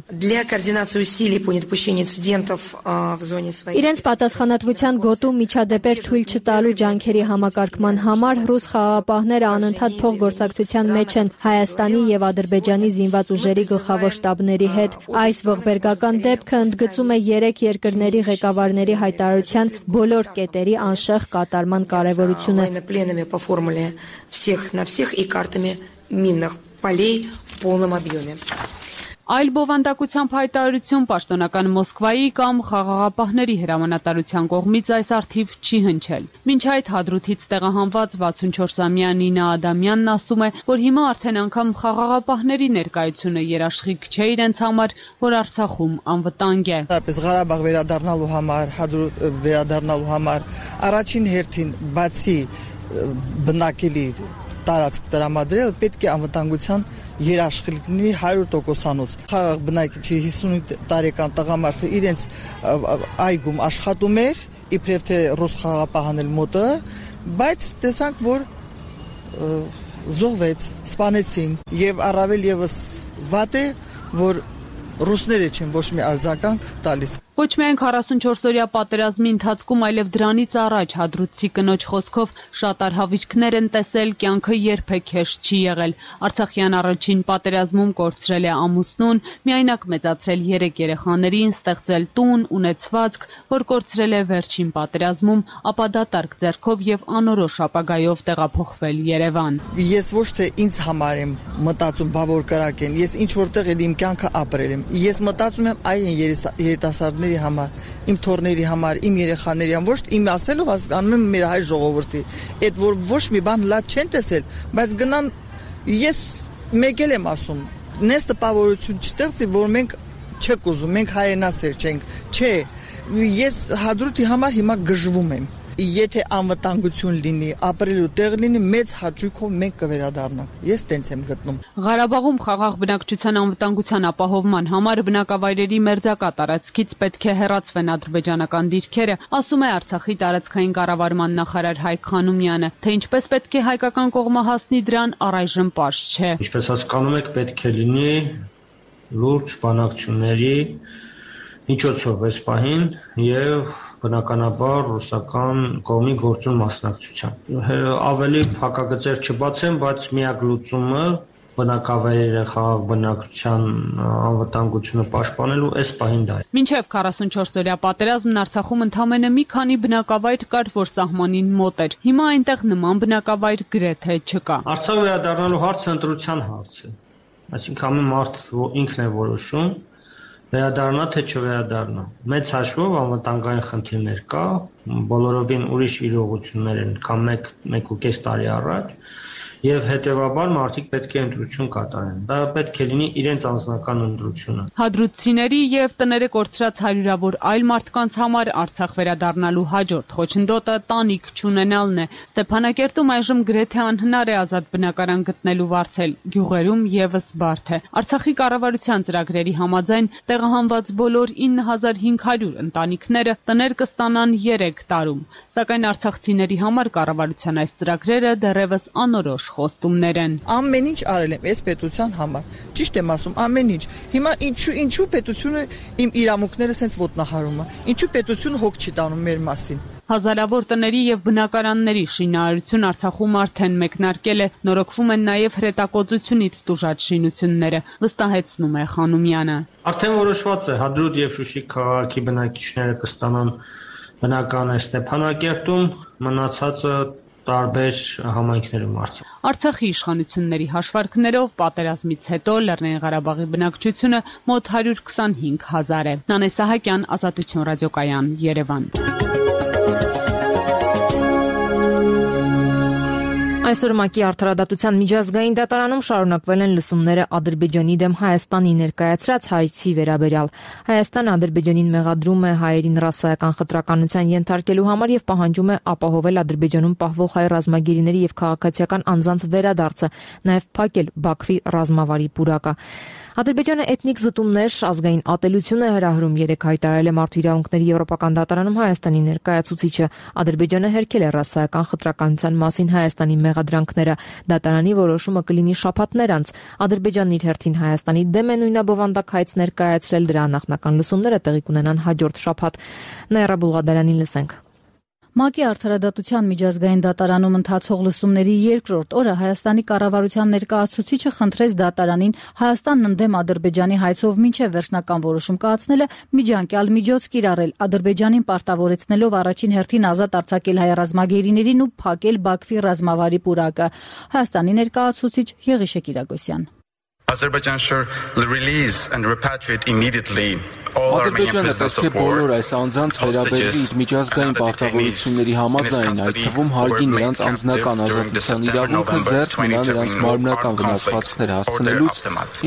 Իրենց պատասխանատվության գոտու միջադեպեր թույլ չտալու ջանքերի համակարգման համար ռուս խաղաղապահները անընդհատ փոխգործակցության մեջ են Հայաստանի եւ Ադրբեջանի զինված ուժերի գլխավոր շտաբների հետ։ Այս ողբերգական դեպքը ընդգծում է երեք երկրների ղեկավարների հայտարարության բոլոր կետերի անշեղ կատարման կարևորությունը։ Այլ բովանդակությամբ հայտարարություն պաշտոնական Մոսկվայի կամ խաղաղապահների հրամանատարության կողմից այս առթիվ չի հնչել։ Մինչ այդ Հադրութից տեղահանված 64-ամյա Նինա Ադամյանն ասում է, որ հիմա արդեն անգամ խաղաղապահների ներկայությունը երաշխիք չէ իրենց համար, որ Արցախում անվտանգ է։ Ղարաբաղ վերադառնալու համար, Հադրութ վերադառնալու համար առաջին հերթին բացի բնակելի տարածք տրամադրել պետք է անվտանգության երաշխիք լինի 100%-անոց։ Խաղաղ բնակիչի 55 տարեկան տղամարդը իրենց այգում աշխատում էր, իբրև թե ռուս խաղաղապահանել մոտը, բայց տեսանք, որ զոհվեց, սպանեցին եւ առավել եւս վատ է, որ ռուսները չեն ոչ մի արձագանք տալիս։ Ոչ միայն 44-օրյա պատերազմի ընթացքում, այլև դրանից առաջ Հադրութցի կնոջ խոսքով շատ արհավիրքներ են տեսել, կյանքը երբեք հեշտ չի եղել։ Արցախյան առաջին պատերազմում կորցրել է ամուսնուն, միայնակ մեծացրել 3 երեխաներին, ստեղծել տուն, ունեցվածք, որ կորցրել է վերջին պատերազմում, ապա դատարկ ձեռքով եւ անորոշ ապագայով տեղափոխվել Երևան։ Ես ոչ թե ինձ համար եմ մտածում, բա որ կրակ են, ես ինչ որտեղ իմ կյանքը ապրել եմ։ Ես մտածում եմ այն երիտասարդների համար, իմ թորների համար, իմ երեխաների համար, ոչ իմ ասելով հասկանում եմ մեր հայ ժողովրդի, այդ որ ոչ մի բան լավ չեն տեսել, բայց գնան ես մեկ եմ ասում, նես տպավորություն չստեղծի, որ մենք չեք ուզում, մենք հայրենասեր չենք։ Չէ, ես Հադրութի համար հիմա գժվում եմ։ Եթե անվտանգություն լինի, ապրելու տեղ լինի, մեծ հաճույքով մենք կվերադառնանք։ Ես տենց եմ գտնում։ Ղարաբաղում խաղաղ բնակչության անվտանգության ապահովման համար բնակավայրերի մերձակա տարածքից պետք է հեռացվեն ադրբեջանական դիրքերը, ասում է Արցախի տարածքային կառավարման նախարար Հայկ Խանոմյանը, թե ինչպես պետք է հայկական կողմը հասնի դրան, առայժմ պարզ չէ։ Ինչպես հասկանում եք, պետք է լինի լուրջ բանակցությունների միջոցով այս պահին եւ բնականաբար ռուսական կողմի գործուն մասնակցության։ Ավելի փակագծեր չբացեմ, բայց միակ լուծումը բնակավայրերը խաղաղ բնակչության անվտանգությունը պաշտպանելու այս պահին դա է։ Մինչև 44-օրյա պատերազմն Արցախում ընդամենը մի քանի բնակավայր կար, որ սահմանին մոտ էր։ Հիմա այնտեղ նման բնակավայր գրեթե չկա։ Արցախ վերադառնալու հարցը ընտրության հարց է։ Այսինքն ամեն մարդ ինքն է որոշում վերադառնա թե չվերադառնա։ Մեծ հաշվով անվտանգային խնդիրներ կա, բոլորովին ուրիշ իրողություններ են, քան 1.5 տարի առաջ, եւ հետեւաբար մարդիկ պետք է ընտրություն կատարեն։ Դա պետք է լինի իրենց անձնական ընտրությունը։ Հադրութցիների եւ տները կորցրած հարյուրավոր այլ մարդկանց համար Արցախ վերադառնալու հաջորդ խոչընդոտը տանիք չունենալն է։ Ստեփանակերտում այժմ գրեթե անհնար է ազատ բնակարան գտնելու վարձել, գյուղերում եւս բարդ է։ Արցախի կառավարության ծրագրերի համաձայն տեղահանված բոլոր 9500 ընտանիքները տներ կստանան 3 տարում, սակայն արցախցիների համար կառավարության այս ծրագրերը դեռևս անորոշ խոստումներ են։ Ամեն ինչ արել եմ այս պետության համար։ Ճիշտ եմ ասում, ամեն ինչ։ Հիմա ինչու պետությունը իմ իրավունքները սենց ոտնահարում է։ Ինչու պետությունը հոգ չի տանում մեր մասին։ Հազարավոր տների եւ բնակարանների շինարարություն Արցախում արդեն մեկնարկել է, նորոգվում են նաեւ հրետակոծությունից տուժած շինությունները, վստահեցնում է Խանոմյանը։ Արդեն որոշված է, Հադրութ եւ Շուշի քաղաքի բնակիչները կստանան բնակարան Ստեփանակերտում, մնացածը տարբեր համայնքներում Արցախ։ Արցախի իշխանությունների հաշվարկներով պատերազմից հետո Լեռնային Ղարաբաղի բնակչությունը մոտ 125,000 է։ Նանե Սահակյան, Ազատություն ռադիոկայան, Երևան։ Այսօր ՄԱԿ-ի արդարադատության միջազգային դատարանում շարունակվել են լսումները Ադրբեջանի դեմ Հայաստանի ներկայացրած հայցի վերաբերյալ։ Հայաստանը Ադրբեջանին մեղադրում է հայերին ռասայական խտրականության ենթարկելու համար եւ պահանջում է ապահովել Ադրբեջանում պահվող հայ ռազմագերիների եւ քաղաքացիական անձանց վերադարձը, նաեւ փակել Բաքվի ռազմավարի պուրակը։ Ադրբեջանը էթնիկ զտումներ, ազգային ատելություն է հրահրում, երեկ հայտարարել է Մարդու իրավունքների եվրոպական դատարանում Հայաստանի ներկայացուցիչը։ Ադրբեջանը հերքել է ռասայական խտրականության մասին Հայաստանի մեղադրանքները։ Դատարանի որոշումը կլինի շաբաթներ անց։ Ադրբեջանն իր հերթին Հայաստանի դեմ է նույնաբովանդակ հայց ներկայացրել, դրա նախնական լսումները տեղի կունենան հաջորդ շաբաթ։ Նաիրա Բուլղադարյանին լսենք։ ՄԱԿ-ի արդարադատության միջազգային դատարանում ընթացող լսումների երկրորդ օրը Հայաստանի կառավարության ներկայացուցիչը խնդրեց դատարանին Հայաստանն ընդդեմ Ադրբեջանի հայցով մինչև վերջնական որոշում կայացնելը միջանկյալ միջոց կիրառել, Ադրբեջանին պարտավորեցնելով առաջին հերթին ազատ արձակել հայ ռազմագերիներին ու փակել Բաքվի ռազմավարի պուրակը։ Հայաստանի ներկայացուցիչ Եղիշե Կիրակոսյան։ Azerbaijan should release and repatriate immediately Ադրբեջանը պետք է բոլոր այս անձանց վերաբերվի իր միջազգային պարտավորությունների համաձայն, այդ թվում հարգի նրանց անձնական ազատության իրավունքը, զերծ մնա նրանց մարմնական վնասվածքներ հասցնելուց,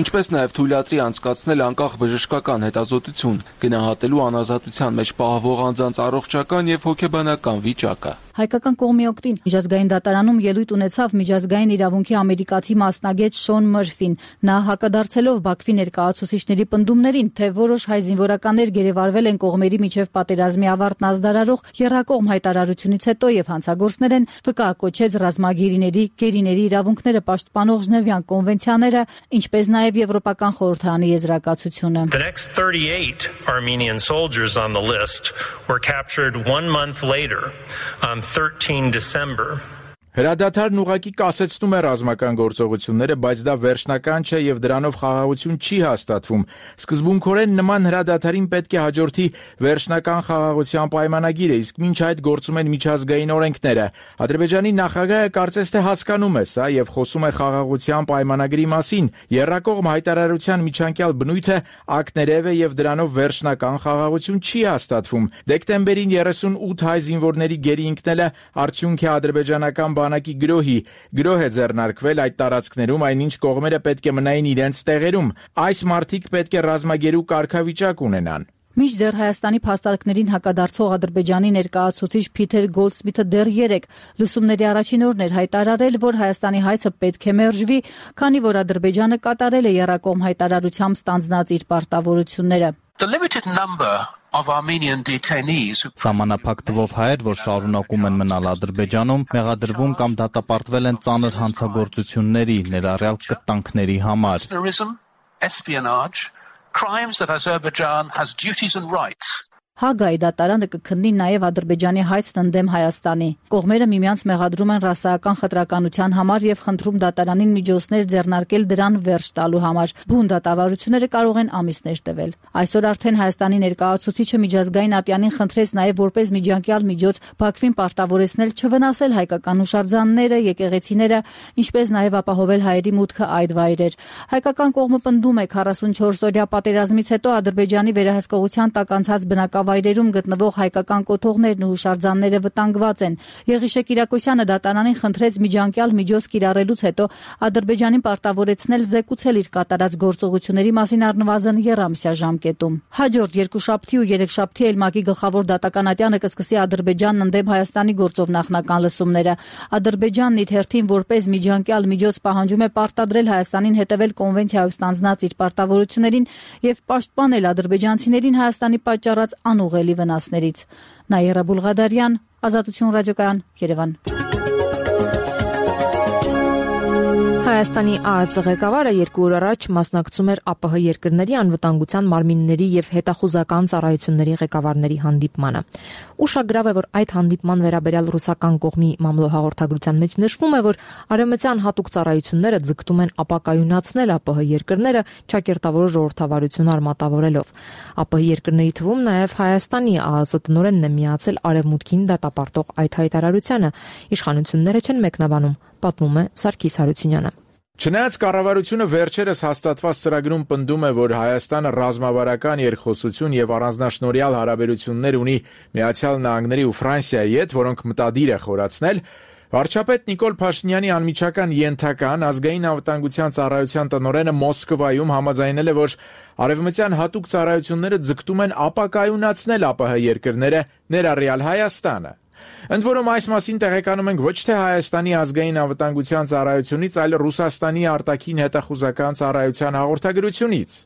ինչպես նաև թույլատրի անցկացնել անկախ բժշկական հետազոտություն, գնահատելու անազատության մեջ պահվող անձանց առողջական եւ հոգեբանական վիճակը։ Հայկական կողմի օգտին միջազգային դատարանում ելույթ ունեցավ միջազգային իրավունքի ամերիկացի մասնագետ Շոն Մըրֆին։ Նա հակադարձելով Բաքվի ներկայացուցիչների պնդումներին, թե որոշ հայ զինվորականներ գերեվարվել են կողմերի միջև պատերազմի ավարտն ազդարարող եռակողմ հայտարարությունից հետո եւ հանցագործներ են, վկայակոչեց ռազմագերիների, գերիների իրավունքները պաշտպանող Ժնևյան կոնվենցիաները, ինչպես նաեւ Եվրոպական խորհրդարանի եզրակացությունը։ The next 38 Armenian soldiers on the list were captured 1 month later on 13 December. Հրադադարն ուղղակի կասեցնում է ռազմական գործողությունները, բայց դա վերջնական չէ եւ դրանով խաղաղություն չի հաստատվում։ Սկզբունքորեն նման հրադադարին պետք է հաջորդի վերջնական խաղաղության պայմանագիրը, իսկ մինչ այդ գործում են միջազգային օրենքները։ Ադրբեջանի նախագահը կարծես թե հասկանում է սա եւ խոսում է խաղաղության պայմանագրի մասին։ Եռակողմ հայտարարության միջանկյալ բնույթը ակներև է եւ դրանով վերջնական խաղաղություն չի հաստատվում։ Դեկտեմբերին 38 հայ զինվորների գերի ընկնելը արդյունք է ադրբեջանական բանակի գրոհ է ձեռնարկվել այդ տարածքներում, այնինչ կողմերը պետք է մնային իրենց տեղերում։ Այս մարդիկ պետք է ռազմագերու կարգավիճակ ունենան։ Մինչդեռ Հայաստանի փաստարկներին հակադարձող Ադրբեջանի ներկայացուցիչ Փիթեր Գոլդսմիթը դեռ 3 լսումների առաջին օրն էր հայտարարել, որ Հայաստանի հայցը պետք է մերժվի, քանի որ Ադրբեջանը կատարել է եռակողմ հայտարարությամբ ստանձնած իր պարտավորությունները։ Սահմանափակ թվով հայեր, որ շարունակում են մնալ Ադրբեջանում, մեղադրվում կամ դատապարտվել են ծանր հանցագործությունների, ներառյալ կտանքների համար։ Crimes that Azerbaijan has duties and rights. Հագայի դատարանը կքննի նաև Ադրբեջանի հայցն ընդդեմ Հայաստանի։ Կողմերը միմյանց մեղադրում են ռասայական խտրականության համար եւ խնդրում դատարանին միջոցներ ձեռնարկել դրան վերջ տալու համար։ Բուն դատավարությունները կարող են ամիսներ տևել։ Այսօր արդեն Հայաստանի ներկայացուցիչը Միջազգային ատյանին խնդրեց նաև որպես միջանկյալ միջոց Բաքվին պարտավորեցնել չվնասել հայկական հուշարձանները, եկեղեցիները, ինչպես նաև ապահովել հայերի մուտքը այդ վայրեր։ Հայկական կողմը պնդում է 44-օրյա պատերազմից հետո Ադրբեջանի վերահսկողության տակ անցած բնակավայրերում գտնվող հայկական կոթողներն ու հուշարձանները վտանգված են։ Եղիշե Կիրակոսյանը դատարանին խնդրեց միջանկյալ միջոց կիրառելուց հետո Ադրբեջանին պարտավորեցնել զեկուցել իր կատարած գործողությունների մասին առնվազն եռամսյա ժամկետում։ Հաջորդ երկուշաբթի ու երեքշաբթի ԵԼՄԱԿ-ի գլխավոր դատական ատյանը կսկսի Ադրբեջանն ընդդեմ Հայաստանի գործով նախնական լսումները։ Ադրբեջանն իր հերթին որպես միջանկյալ միջոց պահանջում է պարտադրել Հայաստանին հետևել կոնվենցիայով ստանձնած իր պարտավորություններին եւ պաշտպանել ադրբեջանցիներին Հայաստանի պատճառած անուղղելի վնասներից։ Նաիրա Բուլղադարյան, Ազատություն ռադիոկայան, Երևան։ Հայաստանի ԱԱԾ ղեկավարը 2 օր առաջ մասնակցում էր ԱՊՀ երկրների անվտանգության մարմինների եւ հետախուզական ծառայությունների ղեկավարների հանդիպմանը։ Ուշագրավ է, որ այդ հանդիպման վերաբերյալ ռուսական կողմի մամլոհաղորդագրության մեջ նշվում է, որ արևմտյան հատուկ ծառայությունները ձգտում են ապակայունացնել ԱՊՀ երկրները ճակերտավոր ժողովրդավարություն արմատավորելով։ ԱՊՀ երկրների թվում նաեւ Հայաստանի ԱԱԾ տնօրենն է միացել արևմուտքին դատապարտող այդ հայտարարությանը։ Իշխանությունները չեն մեկնաբանում, պատմում է Սարգիս Հարությունյանը։ Չնայած կառավարությունը վերջերս հաստատված ծրագրում պնդում է, որ Հայաստանը ռազմավարական երկխոսություն եւ առանձնաշնորհյալ հարաբերություններ ունի Միացյալ Նահանգների ու Ֆրանսիայի հետ, որոնք մտադիր է խորացնել, վարչապետ Նիկոլ Փաշինյանի անմիջական ենթական ազգային անվտանգության ծառայության տնօրենը Մոսկվայում համաձայնել է, որ արևմտյան հատուկ ծառայությունները ձգտում են ապակայունացնել ԱՊՀ երկրները, ներառյալ Հայաստանը։ Ընդ որում այս մասին տեղեկանում ենք ոչ թե Հայաստանի ազգային անվտանգության ծառայությունից, այլ Ռուսաստանի արտաքին հետախուզական ծառայության հաղորդագրությունից։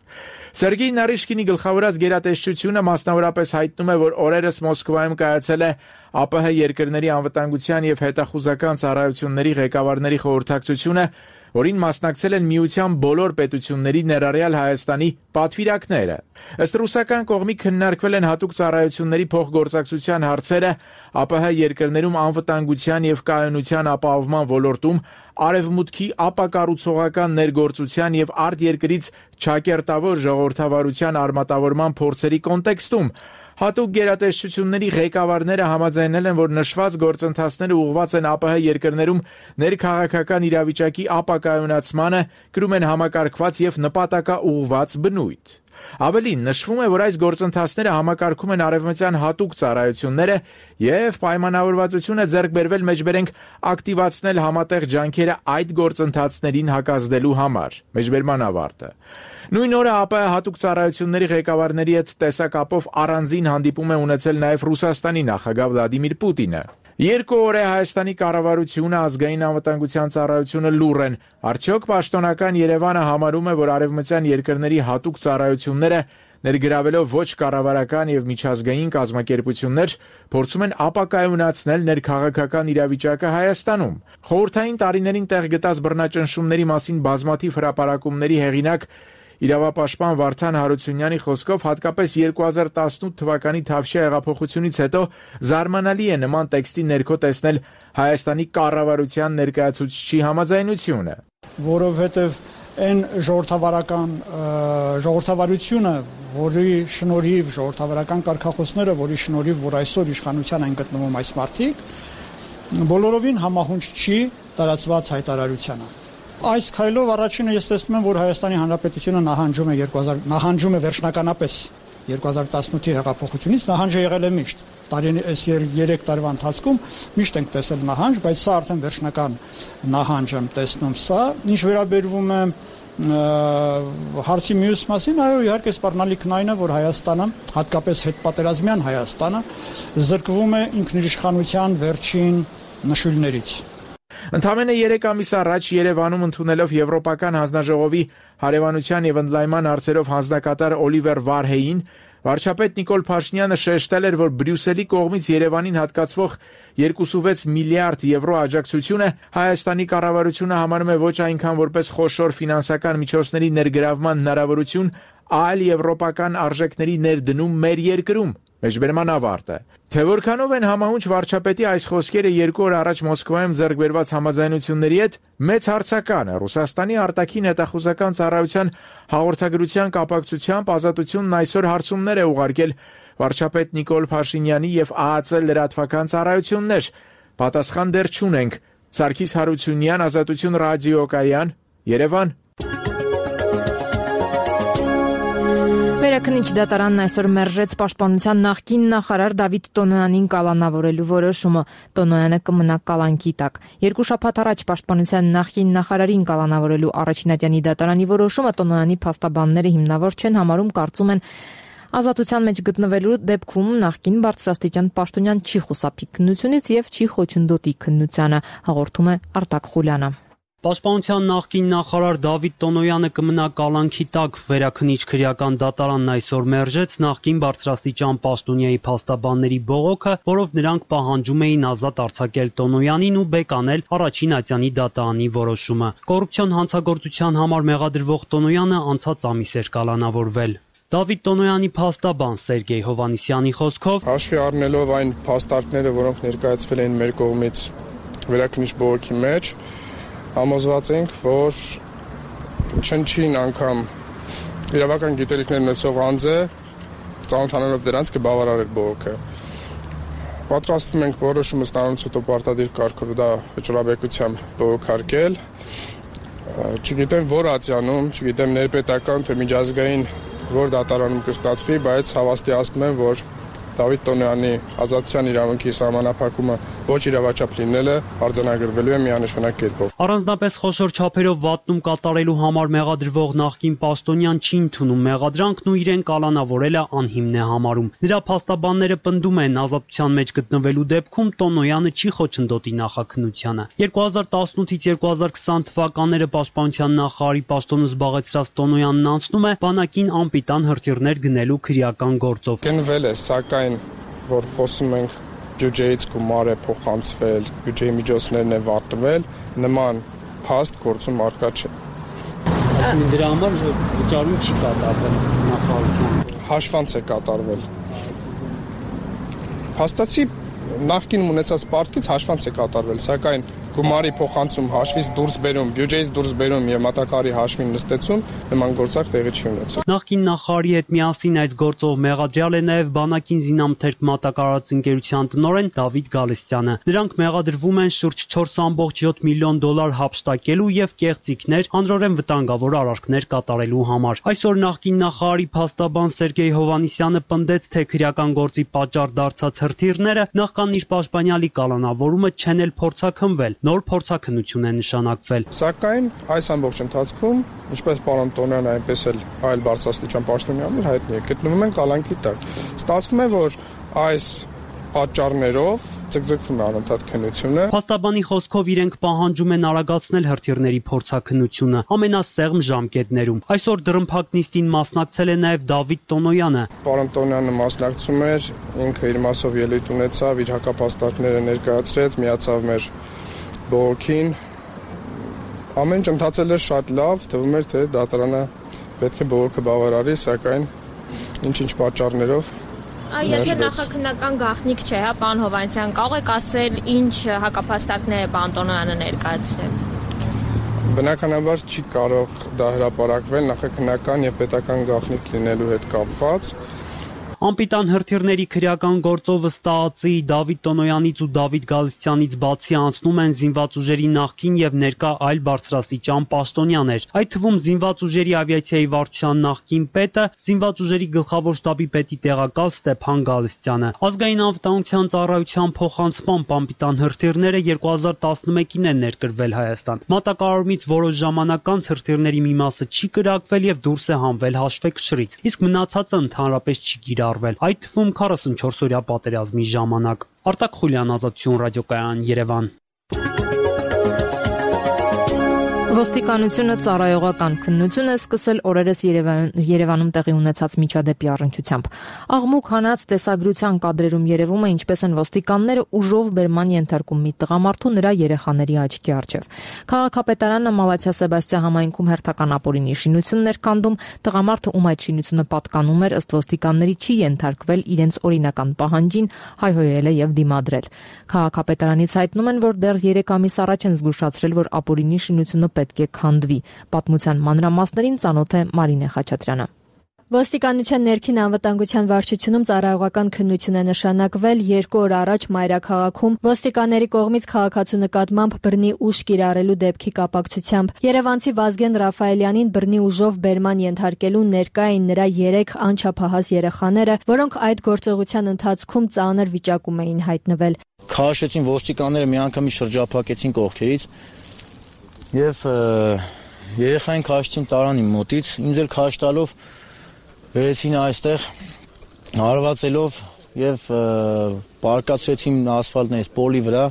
Սերգեյ Նարիշկինի գլխավորած գերատեսչությունը մասնավորապես հայտնում է, որ օրերս Մոսկվայում կայացել է ԱՊՀ երկրների անվտանգության եւ հետախուզական ծառայությունների ղեկավարների խորհրդակցությունը, որին մասնակցել են միության բոլոր պետությունների ներառյալ Հայաստանի պատվիրակները։ Ըստ ռուսական կողմի քննարկվել են հատուկ ծառայությունների փոխգործակցության հարցերը ԱՊՀ երկրներում անվտանգության եւ կայունության ապահովման ոլորտում արևմուտքի ապակառուցողական ներգործության եւ արտերկրից ճակերտավոր ժողովրդավարության արմատավորման փորձերի կոնտեքստում հատուկ գերատեսչությունների ղեկավարները համաձայնել են, որ նշված գործընթացները ուղղված են ԱՊՀ երկրներում ներքաղաքական իրավիճակի ապակայունացմանը, կրում են համակարգված եւ նպատակաուղղված բնույթ։ Ավելին, նշվում է, որ այս գործընթացները համակարգում են արևմտյան հատուկ ծառայությունները եւ պայմանավորվածությունը ձեռք բերվել մեջբերենք ակտիվացնել համատեղ ջանքերը այդ գործընթացներին հակազդելու համար։ Մեջբերման ավարտը։ Նույն օրը ԱՊՀ հատուկ ծառայությունների ղեկավարների հետ տեսակապով առանձին հանդիպում է ունեցել նաեւ Ռուսաստանի նախագահ Վլադիմիր Պուտինը։ 2 օր է Հայաստանի կառավարությունը ազգային անվտանգության ծառայությունը լուռ են։ Արդյոք պաշտոնական Երևանը համարում է, որ արևմտյան երկրների հատուկ ծառայությունները ներգրավելով ոչ կառավարական եւ միջազգային կազմակերպություններ փորձում են ապակայունացնել ներքաղաքական իրավիճակը Հայաստանում։ Խորհրդային տարիներին տեղ գտած բռնաճնշումների մասին բազմաթիվ հրապարակումների հեղինակ իրավապաշտպան Վարդան Հարությունյանի խոսքով հատկապես 2018 թվականի Թավշյա հեղափոխությունից հետո զարմանալի է նման տեքստի ներքո տեսնել Հայաստանի կառավարության ներկայացուցչի համաձայնությունը, որովհետև այն ժողովրդավարությունը, որի շնորհիվ ժողովրդավարական կարգախոսները, որի շնորհիվ որ այսօր իշխանության են գտնվում այս մարդիկ, բոլորովին համահունչ չի տարածված հայտարարությանը։ Այս քայլով առաջինը ես տեսնում եմ, որ Հայաստանի Հանրապետությունը նահանջում է վերջնականապես 2018-ի հեղափոխությունից նահանջը եղել է միշտ։ Այս 3 տարվա ընթացքում միշտ ենք տեսել նահանջ, բայց սա արդեն վերջնական նահանջ եմ տեսնում սա։ Ինչ վերաբերվում է հարցի մյուս մասին, այո, իհարկե սպառնալիքն այն է, որ Հայաստանը, հատկապես հետպատերազմյան Հայաստանը, զրկվում է ինքնիշխանության վերջին նշույլներից։ Ընդամենը 3 ամիս առաջ Երևանում ընդունելով Եվրոպական հանձնաժողովի հարևանության եւ ընդլայնման հարցերով հանձնակատար Օլիվեր Վարհեին, վարչապետ Նիկոլ Փաշինյանը շեշտել էր, որ Բրյուսելի կողմից Երևանին հատկացվող 2.6 միլիարդ եվրո աջակցությունը Հայաստանի կառավարությունը համարում է ոչ այնքան որպես խոշոր ֆինանսական միջոցների ներգրավման հնարավորություն, այլ եվրոպական արժեքների ներդնում մեր երկրում։ Մեջբերման ավարտը։ Թե որքանով են համահունչ վարչապետի այս խոսքերը 2 օր առաջ Մոսկվայում ձեռք բերված համաձայնությունների հետ, մեծ հարցական է Ռուսաստանի արտաքին հետախուզական ծառայության հաղորդագրության կապակցությամբ Ազատությունն այսօր հարցումներ է ուղարկել վարչապետ Նիկոլ Փաշինյանի եւ ԱԱԾ լրատվական ծառայություններ։ Պատասխան դեռ չունենք։ Սարգիս Հարությունյան, Ազատություն ռադիոկայան, Երևան։ Վերաքննիչ դատարանն այսօր մերժեց պաշտպանության նախկին նախարար Դավիթ Տոնոյանին կալանավորելու որոշումը։ Տոնոյանը կմնա կալանքի տակ։ 2 շաբաթ առաջ պաշտպանության նախկին նախարարին կալանավորելու առաջնատյանի դատարանի որոշումը Տոնոյանի փաստաբանները հիմնավոր չեն համարում, կարծում են ազատության մեջ գտնվելու դեպքում նախկին բարձրաստիճան պաշտոնյան չի խուսափի քննությունից եւ չի խոչընդոտի քննությանը, հաղորդում է Արտակ Խուլյանը։ Պաշտպանության նախկին նախարար Դավիթ Տոնոյանը կմնա կալանքի տակ։ Վերաքննիչ քրեական դատարանն այսօր մերժեց նախկին բարձրաստիճան պաշտոնյայի փաստաբանների բողոքը, որով նրանք պահանջում էին ազատ արձակել Տոնոյանին ու բեկանել առաջին ատյանի դատարանի որոշումը։ Կոռուպցիոն հանցագործության համար մեղադրվող Տոնոյանը անցած ամիս էր կալանավորվել։ Դավիթ Տոնոյանի փաստաբան Սերգեյ Հովանիսյանի խոսքով հաշվի առնելով այն փաստարկները, որոնք ներկայացվել էին մեր կողմից վերաքննիչ բողոքի մեջ, համոզված ենք, որ չնչին անգամ իրավական գիտելիքներ ունեցող անձը ծանոթանալով դրանց կբավարարեր բողոքը։ Պատրաստվում ենք որոշումը ստանալուց հետո պարտադիր կարգով դա վճռաբեկությամբ բողոքարկել։ Չգիտեմ որ ատյանում, չգիտեմ ներպետական թե միջազգային որ դատարանում կստացվի, բայց հավաստիացնում եմ, որ Դավիթ Տոնոյանի ազատության իրավունքի սահմանափակումը ոչ իրավաչափ լինելը արձանագրվելու է միանշանակ կերպով։ Առանձնապես խոշոր չափերով վատնում կատարելու համար մեղադրվող նախկին պաշտոնյան չի ընդունում մեղադրանքն ու իրեն կալանավորելը անհիմն է համարում։ Նրա փաստաբանները պնդում են ազատության մեջ գտնվելու դեպքում Տոնոյանը չի խոչընդոտի նախաքննությանը։ 2018-ից 2020 թվականները պաշտպանության նախարարի պաշտոնը զբաղեցրած Տոնոյանն անցնում է բանակին անպիտան հրթիռներ գնելու քրեական գործով։ Գնվել է, սակայն որ խոսում ենք բյուջեից գումար է փոխանցվել, բյուջեի միջոցներն է վատնվել, նման փաստ գործում արկա չէ։ Այսինքն դրա համար վճարում չի կատարվել նախարարության։ Հաշվանց է կատարվել։ Փաստացի նախկին ունեցած պարտքից հաշվանց է կատարվել, սակայն գումարի փոխանցում, հաշվից դուրս բերում, բյուջեից դուրս բերում եւ մատակարարի հաշվին նստեցում նման գործակ տեղի չի ունեցել։ Նախկին նախարարի հետ միասին այս գործով մեղադրյալ է նաեւ բանակին զինամթերք մատակարարած ընկերության տնօրեն Դավիթ Գալստյանը։ Նրանք մեղադրվում են շուրջ 4.7 միլիոն դոլար հափշտակելու եւ կեղծիքներ, անձնորեն վտանգավոր արարքներ կատարելու համար։ Այսօր նախկին նախարարի փաստաբան Սերգեյ Հովանիսյանը պնդեց, թե քրեական գործի պատճառ դարձած հրթիռները նախքան իր պաշտպանյալի կալանավորումը չեն էլ փորձաքննվել։ Նոր փորձաքննություն է նշանակվել։ Սակայն այս ամբողջ ընթացքում, ինչպես պարոն Տոնոյանը, այնպես էլ այլ բարձրաստիճան պաշտոնյաներ հայտնի է, գտնվում են կալանքի տակ։ Ստացվում է, որ այս պատճառներով ձգձգվում է անընդհատ քննությունը։ Փաստաբանի խոսքով իրենք պահանջում են արագացնել հրթիռների փորձաքննությունը ամենասեղմ ժամկետներում։ Այսօր դռնփակ նիստին մասնակցել է նաև Դավիթ Տոնոյանը։ Պարոն Տոնոյանը մասնակցում էր, ինքը իր մասով ելույթ ունեցավ, իր հակապաստարկները ներկայացրեց, միացավ մեր բողոքին։ Ամեն ինչ ընթացել էր շատ լավ, թվում էր, թե դատարանը պետք է բողոքը բավարարի, սակայն ինչ-ինչ պատճառներով Եթե նախաքննական գաղտնիք չէ, հա, պարոն Հովանեսյան, կարող եք ասել ինչ հակապաստարկներ է պարոն Տոնոյանը ներկայացրել։ Բնականաբար չի կարող դա հրապարակվել նախաքննական եւ պետական գաղտնիք լինելու հետ կապված։ Անպիտան հրթիռների քրեական գործով վստահացի Դավիթ Տոնոյանից ու Դավիթ Գալստյանից բացի անցնում են զինված ուժերի նախկին եւ ներկա այլ բարձրաստիճան պաշտոնյաներ։ Այդ թվում զինված ուժերի ավիացիայի վարչության նախկին պետը, զինված ուժերի գլխավոր շտաբի պետի տեղակալ Ստեփան Գալստյանը։ Ազգային անվտանգության ծառայության փոխանցմամբ անպիտան հրթիռները 2011-ին են ներկրվել Հայաստան։ Մատակարարումից որոշ ժամանակ անց հրթիռների մի մասը չի կրակվել եւ դուրս է հանվել հաշվեկշռից, իսկ մնացածը ընդհանրապես չի կիրառվել, այդ թվում 44-օրյա պատերազմի ժամանակ։ Արտակ Խուլյան, Ազատություն ռադիոկայան, Երևան։ Ոստիկանությունը ծառայողական քննություն է սկսել օրերս Երևանում տեղի ունեցած միջադեպի առնչությամբ։ Աղմուկ հանած տեսագրության կադրերում երևում է ինչպես են ոստիկանները ուժով բերման ենթարկում մի տղամարդու նրա երեխաների աչքի առջև։ Քաղաքապետարանը Մալաթիա Սեբաստիա համայնքում հերթական ապօրինի շինություններ կանդում, տղամարդը, ում այդ շինությունը պատկանում էր, ըստ ոստիկանների չի ենթարկվել իրենց օրինական պահանջին, հայհոյել է եւ դիմադրել։ Քաղաքապետարանից հայտնում են, որ դեռ 3 ամիս առաջ են զգուշացրել, որ ապօրինի շինությունը պետք է քանդվի։ Պատմության մանրամասներին ծանոթ է Մարինե Խաչատրյանը։ Ոստիկանության ներքին անվտանգության վարչությունում ծառայողական քննություն է նշանակվել 2 օր առաջ Մայրաքաղաքում ոստիկանների կողմից քաղաքացու նկատմամբ բռնի ուժ կիրառելու դեպքի կապակցությամբ։ Երևանցի Վազգեն Ռաֆայելյանին բռնի ուժով բերման ենթարկելու ներկա էին նրա 3 անչափահաս երեխաները, որոնք այդ գործողության ընթացքում ծանր վիճակում էին հայտնվել։ Քաշեցին ոստիկանները միանգամից շրջափակեցին կողքերից եւ երեխային քաշեցին տարան իմ մոտից, ինձ էլ քաշ տալով վերեցին այստեղ հարվածելով եւ պարկացրեցին ասֆալտներից պոլի վրա,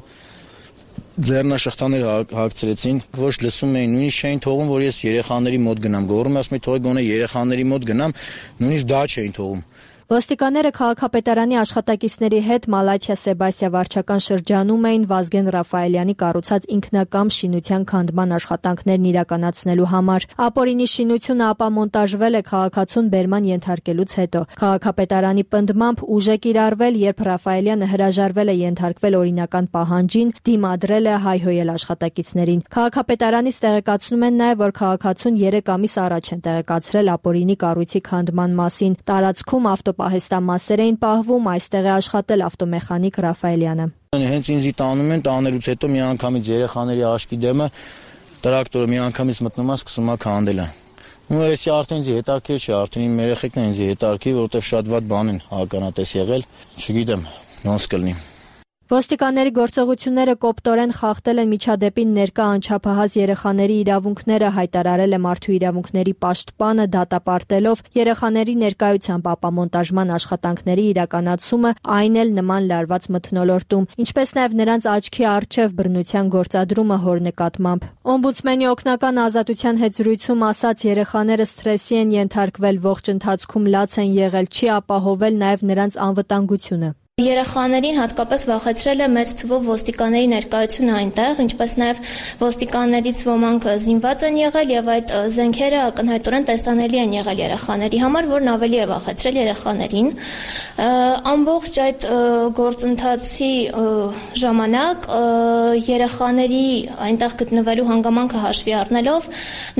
ձեռնաշղթաներ հագցրեցին, ոչ լսում էին, նույնիսկ չէին թողում, որ ես երեխաների մոտ գնամ, գոռում ասում եմ, թողեք գոնե երեխաների մոտ գնամ, նույնիսկ դա չէին թողում։ Ոստիկանները քաղաքապետարանի աշխատակիցների հետ Մալաթիա Սեբաստիա վարչական շրջանում էին Վազգեն Ռաֆայելյանի կառուցած ինքնակամ շինության քանդման աշխատանքներն իրականացնելու համար։ Ապօրինի շինությունը ապամոնտաժվել է քաղաքացուն բերման ենթարկելուց հետո։ Քաղաքապետարանի պնդմամբ ուժ է կիրառվել, երբ Ռաֆայելյանը հրաժարվել է ենթարկվել օրինական պահանջին, դիմադրել է, հայհոյել աշխատակիցներին։ Քաղաքապետարանից տեղեկացնում են նաև, որ քաղաքացուն 3 ամիս առաջ են տեղեկացրել ապօրինի կառույցի քանդման մասին։ Տարածքում պահեստամասեր էին պահվում, այստեղ է աշխատել ավտոմեխանիկ Ռաֆայելյանը։ Հենց ինձ տանում են, տաներուց հետո միանգամից երեխաների աշկի դեմը տրակտորը միանգամից մտնում է, սկսում է քանդելը։ Ու էսի արդեն ինձ հետաքրքիր չէ, արդեն իմ երեխեքն են ինձ հետաքրքիր, որովհետև շատ վատ բան են հականատես եղել, չգիտեմ, ոնց կլինի։ Ոստիկանների գործողությունները կոպտորեն խախտել են միջադեպին ներկա անչափահաս երեխաների իրավունքները, հայտարարել է Մարդու իրավունքների պաշտպանը, դատապարտելով երեխաների ներկայությամբ ապամոնտաժման աշխատանքների իրականացումը, այն էլ նման լարված մթնոլորտում, ինչպես նաև նրանց աչքի առջև բռնության գործադրումը հոր նկատմամբ։ Օմբուդսմենի օգնական Ազատության հետ զրույցում ասաց, երեխաները սթրեսի են ենթարկվել, ողջ ընթացքում լաց են եղել, չի ապահովել նաև նրանց անվտանգությունը։ Երեխաներին հատկապես վախեցրել է մեծ թվով ոստիկանների ներկայությունը այնտեղ, ինչպես նաև ոստիկաններից ոմանք զինված են եղել եւ այդ զենքերը ակնհայտորեն տեսանելի են եղել երեխաների համար, որն ավելի է վախեցրել երեխաներին։ Ամբողջ այդ գործընթացի ժամանակ երեխաների այնտեղ գտնվելու հանգամանքը հաշվի առնելով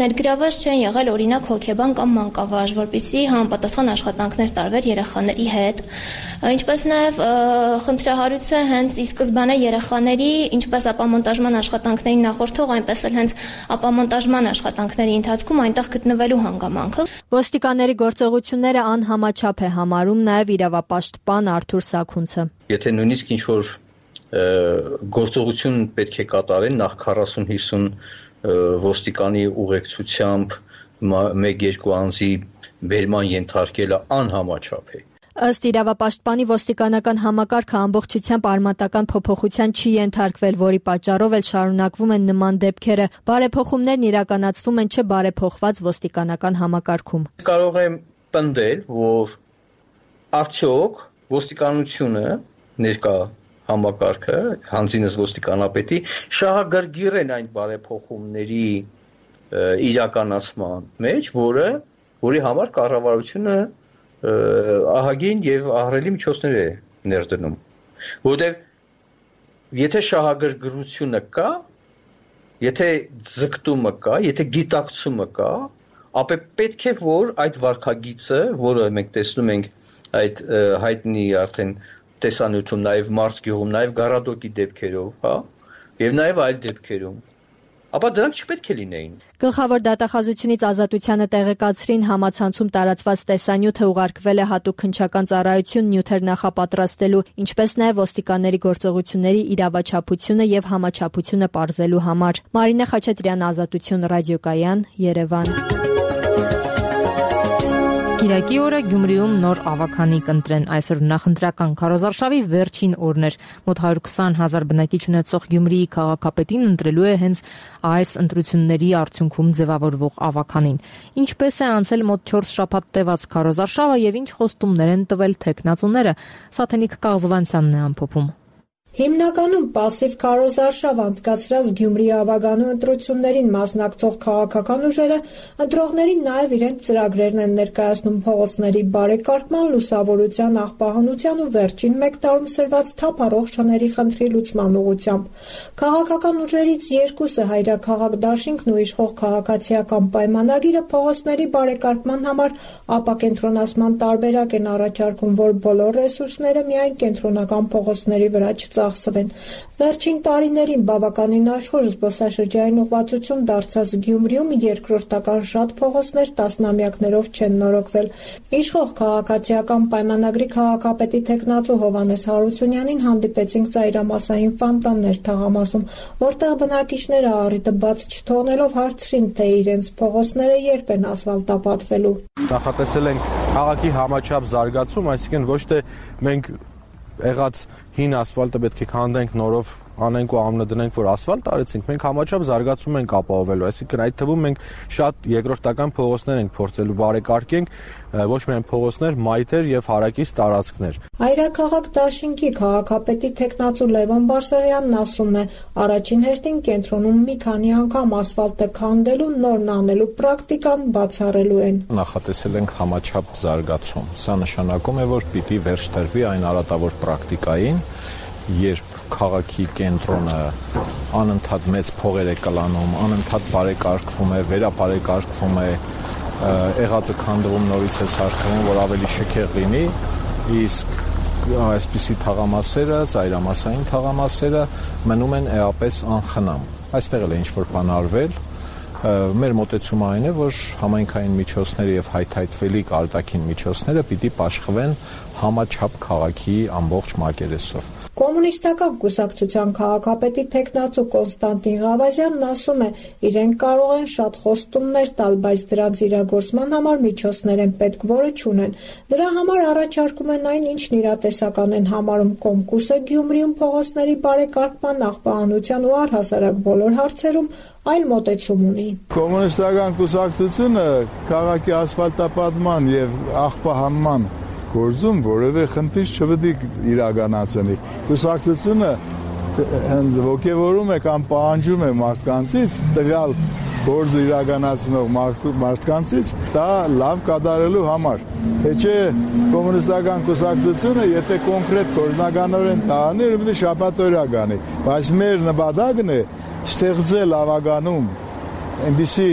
ներգրաված չեն եղել օրինակ հոգեբան կամ մանկավարժ, որպեսզի համապատասխան աշխատանքներ տարվեր երեխաների հետ, ինչպես նաև խնդրահարույց է հենց ի սկզբանե երեխաների ինչպես ապամոնտաժման աշխատանքներին նախորդող, այնպես էլ հենց ապամոնտաժման աշխատանքների ընթացքում այնտեղ գտնվելու հանգամանքը։ Ոստիկանների գործողությունները անհամաչափ է համարում նաև իրավապաշտպան Արթուր Սաքունցը։ Եթե նույնիսկ ինչ-որ գործողություն պետք է կատարեն նախ 40-50 ոստիկանի ուղեկցությամբ 1-2 անձի բերման ենթարկելը անհամաչափ է։ Ըստ իրավապաշտպանի ոստիկանական համակարգը ամբողջությամբ արմատական փոփոխության չի ենթարկվել, որի պատճառով էլ շարունակվում են նման դեպքերը։ Բարեփոխումներն իրականացվում են չբարեփոխված ոստիկանական համակարգում։ Կարող եմ պնդել, որ արդյոք ոստիկանությունը ներկա համակարգը, հանձինս ոստիկանապետի, շահագրգիռ են այն բարեփոխումների իրականացման մեջ, որի համար կառավարությունը ահագին եւ ահռելի միջոցներ է ներդնում, որովհետեւ եթե շահագրգռությունը կա, եթե ձգտումը կա, եթե գիտակցումը կա, ապա պետք է որ այդ վարքագիծը, որը մենք տեսնում ենք այդ հայտնի արդեն տեսանյութում նաև Մարսգյուղում, նաև Գարադոկի դեպքերով, հա, եւ նաև այլ դեպքերում։ Ապա դրանք չպետք է լինեին։ Գլխավոր դատախազությունից Ազատությանը տեղեկացրին համացանցում տարածված տեսանյութը ուղարկվել է հատուկ քննչական ծառայություն նյութեր նախապատրաստելու, ինչպես նաև ոստիկանների գործողությունների իրավաչափությունը եւ համաչափությունը պարզելու համար։ Մարինե Խաչատրյան, Ազատություն ռադիոկայան, Երևան։ Կիրակի օրը Գյումրիում նոր ավագանի կընտրեն։ Այսօր նախընտրական քարոզարշավի վերջին օրն էր։ Մոտ 120,000 բնակիչ ունեցող Գյումրիի քաղաքապետին ընտրելու է հենց այս ընտրությունների արդյունքում ձևավորվող ավագանին։ Ինչպես է անցել մոտ 4 շաբաթ տևած քարոզարշավը եւ ինչ խոստումներ են տվել թեկնածուները, Սաթենիկ Կաղզվանցյանն է ամփոփում։ Հիմնականում պասիվ քարոզարշավ անցկացրած Գյումրիի ավագանու ընտրություններին մասնակցող քաղաքական ուժերը ընտրողներին նաև իրենց ծրագրերն են ներկայացնում փողոցների բարեկարգման, լուսավորության, աղբահանության ու վերջին մեկ տարում սրված թափառող շների խնդրի լուծման ուղղությամբ։ Քաղաքական ուժերից երկուսը հայրաքաղաք դաշինքն ու իշխող քաղաքացիական պայմանագիրը փողոցների բարեկարգման համար ապակենտրոնացման տարբերակ են առաջարկում, որ բոլոր ռեսուրսները միայն կենտրոնական փողոցների վրա ծախսվեն։ Վերջին տարիներին բավականին աշխույժ զբոսաշրջային ուղղվածություն դարձած Գյումրիում երկրորդական շատ փողոցներ տասնամյակներով չեն նորոգվել։ Իշխող քաղաքացիական պայմանագրի քաղաքապետի թեկնածու Հովհաննես Հարությունյանին հանդիպեցինք ծայրամասային ֆոնտաններ թաղամասում, որտեղ բնակիչները առիթը բաց չթողնելով հարցրին, թե իրենց փողոցները երբ են ասֆալտապատվելու։ Նախատեսել ենք քաղաքի համաչափ զարգացում, այսինքն ոչ թե մենք եղած հին ասֆալտը պետք է քանդենք, նորով անենք ու ամնը դնենք, որ ասֆալտ արեցինք, մենք համաչափ զարգացում ենք ապահովելու, այսինքն այդ թվում մենք շատ երկրորդական փողոցներ ենք փորձելու բարեկարգենք, ոչ միայն փողոցներ, մայթեր եւ հարակից տարածքներ։ Հայրաքաղաք դաշինքի քաղաքապետի թեկնածու Լևոն Բարսեղյանն ասում է, առաջին հերթին կենտրոնում մի քանի անգամ ասֆալտը քանդելու, նորն անելու պրակտիկան բացառելու են։ Նախատեսել ենք համաչափ զարգացում։ Սա նշանակում է, որ պիտի վերջ տրվի այն արատավոր պրակտիկային, երբ քաղաքի կենտրոնը անընդհատ մեծ փողեր է կլանում, անընդհատ բարեկարգվում է, վերաբարեկարգվում է, եղածը քանդվում, նորից է սարքվում, որ ավելի շքեղ լինի, իսկ այսպիսի թաղամասերը, ծայրամասային թաղամասերը մնում են էապես անխնամ։ Այստեղ էլ է ինչ-որ բան արվել, մեր մոտեցումը այն է, որ համայնքային միջոցները եւ հայթայթվելիք արտաքին միջոցները պիտի պաշխվեն համաչափ քաղաքի ամբողջ մակերեսով։ Կոմունիստական կուսակցության քաղաքապետի թեկնածու Կոնստանտին Ղավազյանն ասում է, իրենք կարող են շատ խոստումներ տալ, բայց դրանց իրագործման համար միջոցներ են պետք, որը չունեն։ Դրա համար առաջարկում են այն, ինչն իրատեսական են համարում Կոմկուսը Գյումրիում փողոցների բարեկարգման, աղբահանության ու առհասարակ բոլոր հարցերում այլ մոտեցում ունի։ Կոմունիստական կուսակցությունը քաղաքի ասֆալտապատման եւ աղբահանման գործում որևէ խնդիր չպետք է իրականացնի։ Կուսակցությունը հենց ոգևորում է կամ պահանջում է մարդկանցից տվյալ գործը իրականացնող մարդկանցից դա լավ կատարելու համար։ Թե չէ կոմունիստական կուսակցությունը եթե կոնկրետ գործնականորեն տանի, ուրեմն շաբաթօրյա գանի, բայց մեր նպատակն է ստեղծել ավագանում այնպիսի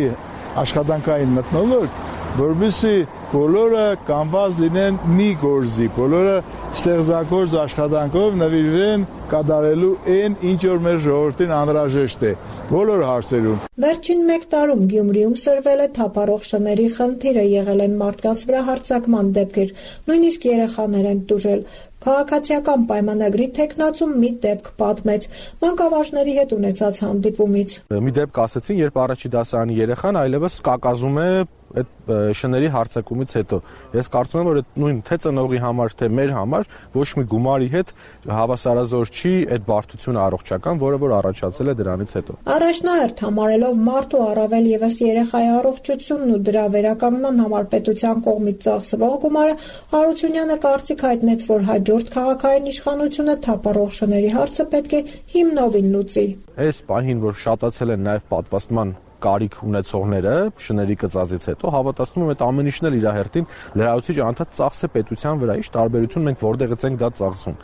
աշխատանքային մթնոլորտ, որովհետեւ բոլորը կանված լինեն մի գործի, բոլորը ստեղծագործ աշխատանքով նվիրվեն կատարելու այն, ինչ որ մեր ժողովրդին անհրաժեշտ է, բոլոր հարցերում։ Վերջին մեկ տարում Գյումրիում սրվել է թափառող շների խնդիրը, եղել են մարդկանց վրա հարձակման դեպքեր, նույնիսկ երեխաներ են տուժել։ Քաղաքացիական պայմանագրի թեկնածում մի դեպք պատմեց մանկավարժների հետ ունեցած հանդիպումից։ Մի դեպք ասեցին, երբ առաջի դասարանի երեխան այլևս կակազում է այդ շների հարձակումից հետո։ Ես կարծում եմ, որ այդ նույն թե ծնողի համար, թե մեր համար ոչ մի գումարի հետ հավասարազոր չի այդ բարդությունը առողջական, որը որ առաջացել է դրանից հետո։ Առաջնահերթ համարելով մարդու առավել եւս երեխայի առողջությունն ու դրա վերականգնման համար պետության կողմից ծախսվող գումարը, Հարությունյանը կարծիք հայտնեց, որ հաջորդ քաղաքային իշխանությունը թափառող շների հարցը պետք է հիմնովին լուծի։ Այս պահին, որ շատացել են նաև պատվաստման կարիք ունեցողները շների կծածից հետո հավատացնում եմ այդ ամեն ինչն էլ իր հերթին լրացուցիչ անդադ ծախս է պետության վրա, ինչ տարբերություն մենք որտեղից ենք դա ծախսում։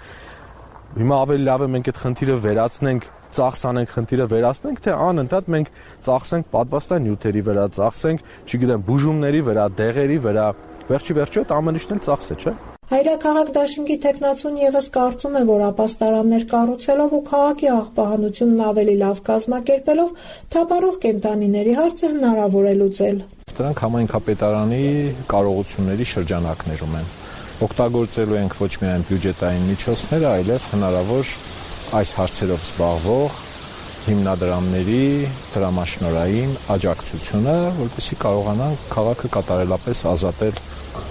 Հիմա ավելի լավ է մենք այդ խնդիրը վերացնենք, ծախս անենք, խնդիրը վերացնենք, թե անընդհատ մենք ծախսենք պատվաստան նյութերի վրա, ծախսենք, չգիտեմ, բուժումների վրա, դեղերի վրա, վերջի վերջո այդ ամեն ինչն էլ ծախս է, չէ՞։ Հայրաքաղաք դաշինքի թեկնածուն եւս կարծում է, որ ապաստարաններ կառուցելով ու քաղաքի աղբահանությունն ավելի լավ կազմակերպելով թափառող կենդանիների հարցը հնարավոր է լուծել։ Դրանք համայնքապետարանի կարողությունների շրջանակներում են։ Օգտագործելու ենք ոչ միայն բյուջետային միջոցները, այլև հնարավոր այս հարցերով զբաղվող հիմնադրամների դրամաշնորհային աջակցությունը, որպեսզի կարողանան քաղաքը կատարելապես ազատել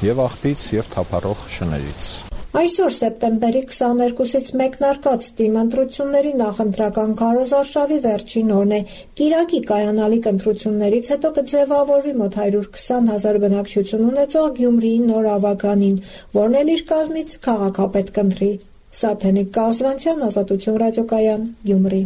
եւ աղբից եւ թափառող շներից։ Այսօր սեպտեմբերի 22-ից մեկնարկած ՏԻՄ ընտրությունների նախընտրական քարոզարշավի վերջին օրն է։ Կիրակի կայանալիք ընտրություններից հետո կձևավորվի մոտ 120,000 բնակչություն ունեցող Գյումրիի նոր ավագանին, որն էլ իր կազմից քաղաքապետ կընտրի։ Սաթենիկ Կազվանցյան, Ազատություն ռադիոկայան, Գյումրի։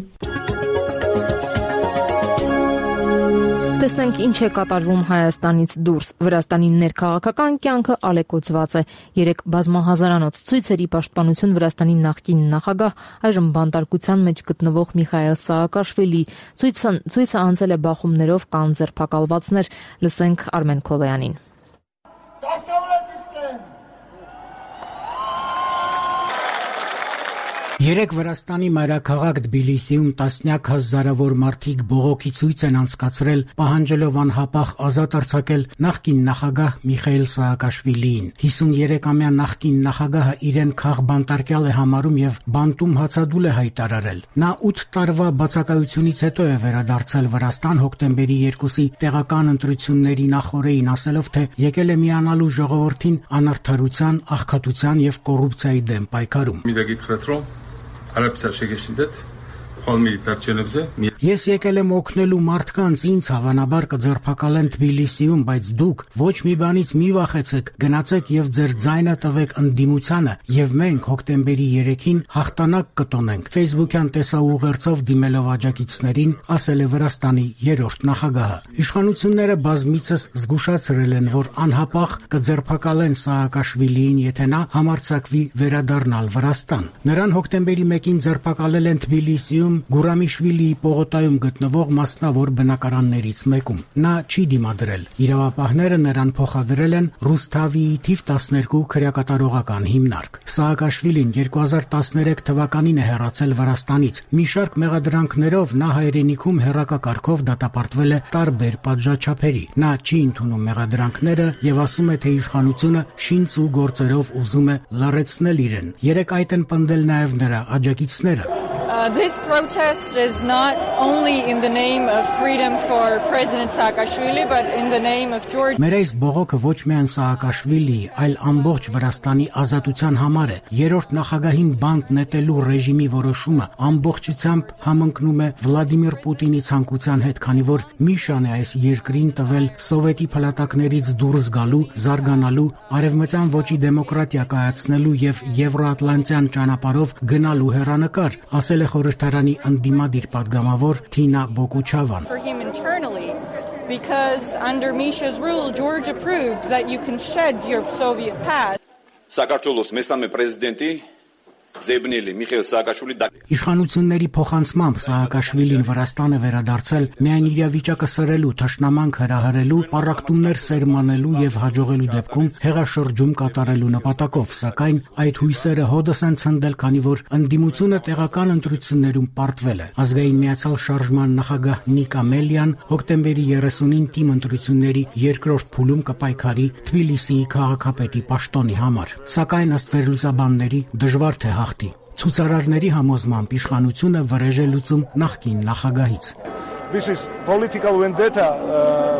Տեսնենք ինչ է կատարվում Հայաստանից դուրս։ Վրաստանի ներքաղաքական կյանքը ալեկոծված է։ 3 բազմահազարանոց ցույցերի պաշտպանություն Վրաստանի նախկին նախագահ, այժմ բանտարկության մեջ գտնվող Միխայել Սաակաշվիլի ցույցը անցել է բախումներով, կան ձերբակալվածներ։ Լսենք Արմեն Քոլոյանին։ Երեք Վրաստանի մայրաքաղաք Թբիլիսիում տասնյակ հազարավոր մարդիկ բողոքի ցույց են անցկացրել, պահանջելով անհապաղ ազատ արձակել նախկին նախագահ Միխայել Սաակաշվիլիին։ 53-ամյա նախկին նախագահը իրեն քաղբանտարկյալ է համարում եւ բանտում հացադուլ է հայտարարել։ Նա 8 տարվա բացակայությունից հետո է վերադարձել Վրաստան հոկտեմբերի 2-ի տեղական ընտրությունների նախօրեին, ասելով, թե եկել է միանալու ժողովրդին անարդարության, աղքատության եւ կոռուպցիայի դեմ պայքարում։ Ես եկել եմ օգնելու մարդկանց, ինձ հավանաբար կձերբակալեն Թբիլիսիում, բայց դուք ոչ մի բանից մի վախեցեք, գնացեք եւ ձեր ձայնը տվեք ընդդիմությանը եւ մենք հոկտեմբերի 3-ին հաղթանակ կտոնենք։ Facebook-յան տեսաուղերձով դիմելով աջակիցներին, ասել է Վրաստանի 3-րդ նախագահը։ Իշխանությունները բազմիցս զգուշացրել են, որ անհապաղ կձերբակալեն Սաակաշվիլիին, եթե նա համարձակվի վերադառնալ Վրաստան։ Նրան հոկտեմբերի 1-ին ձերբակալել են Թբիլիսիում Գուրամիշվիլիի պողոտայում գտնվող մասնավոր բնակարաններից մեկում։ Նա չի դիմադրել։ Իրավապահները նրան փոխադրել են Ռուսթավիի թիվ 12 քրեակատարողական հիմնարկ։ Սաակաշվիլին 2013 թվականին է հեռացել Վրաստանից։ Մի շարք մեղադրանքներով նա հայրենիքում հեռակակարգով դատապարտվել է տարբեր պատժաչափերի։ Նա չի ընդունում մեղադրանքները եւ ասում է, թե իշխանությունը շինծ ու գործերով ուզում է լարեցնել իրեն։ Երեք այդ են պնդել նաեւ նրա աջակիցները։ This protest is not only in the name of freedom for President Saakashvili, but in the name of Georgia. Մեր այս բողոքը ոչ միայն Սաակաշվիլիի, այլ ամբողջ Վրաստանի ազատության համար է։ Երրորդ նախագահին բանտ նետելու ռեժիմի որոշումը ամբողջությամբ համընկնում է Վլադիմիր Պուտինի ցանկության հետ, քանի որ Միշան է այս երկրին տվել սովետի փլատակներից դուրս գալու, զարգանալու, արևմտյան ոճի դեմոկրատիա կայացնելու եւ եվրոատլանտյան ճանապարհով գնալու հեռանկար, ասել է խորհրդարանի ընդդիմադիր պատգամավոր Թինա Բոկուչավան։ Because under Misha's rule, Georgia proved that you can shed your Soviet past. Საქართველოს მესამე პრეზიდენტი Ձեբնելի Միխայել Սաակաշվիլի Իշխանությունների փոխանցմամբ Սաակաշվիլին Վրաստան է վերադարձել միայն իրավիճակը սրելու, թշնամանք հրահրելու, պառակտումներ սերմանելու եւ հաջողելու դեպքում հեղաշրջում կատարելու նպատակով, սակայն այդ հույսերը հոդս են ցնդել, քանի որ ընդդիմությունը տեղական ընտրություններում պարտվել է։ Ազգային միացյալ շարժման նախագահ Նիկա Մելյան հոկտեմբերի 30-ին ՏԻՄ ընտրությունների երկրորդ փուլում կպայքարի Թբիլիսիի քաղաքապետի պաշտոնի համար, սակայն ըստ վերլուծաբանների դժվար թե հաղթի։ Ցուցարարների համոզմամբ իշխանությունը վրեժ է լուծում նախկին նախագահից։ This is political vendetta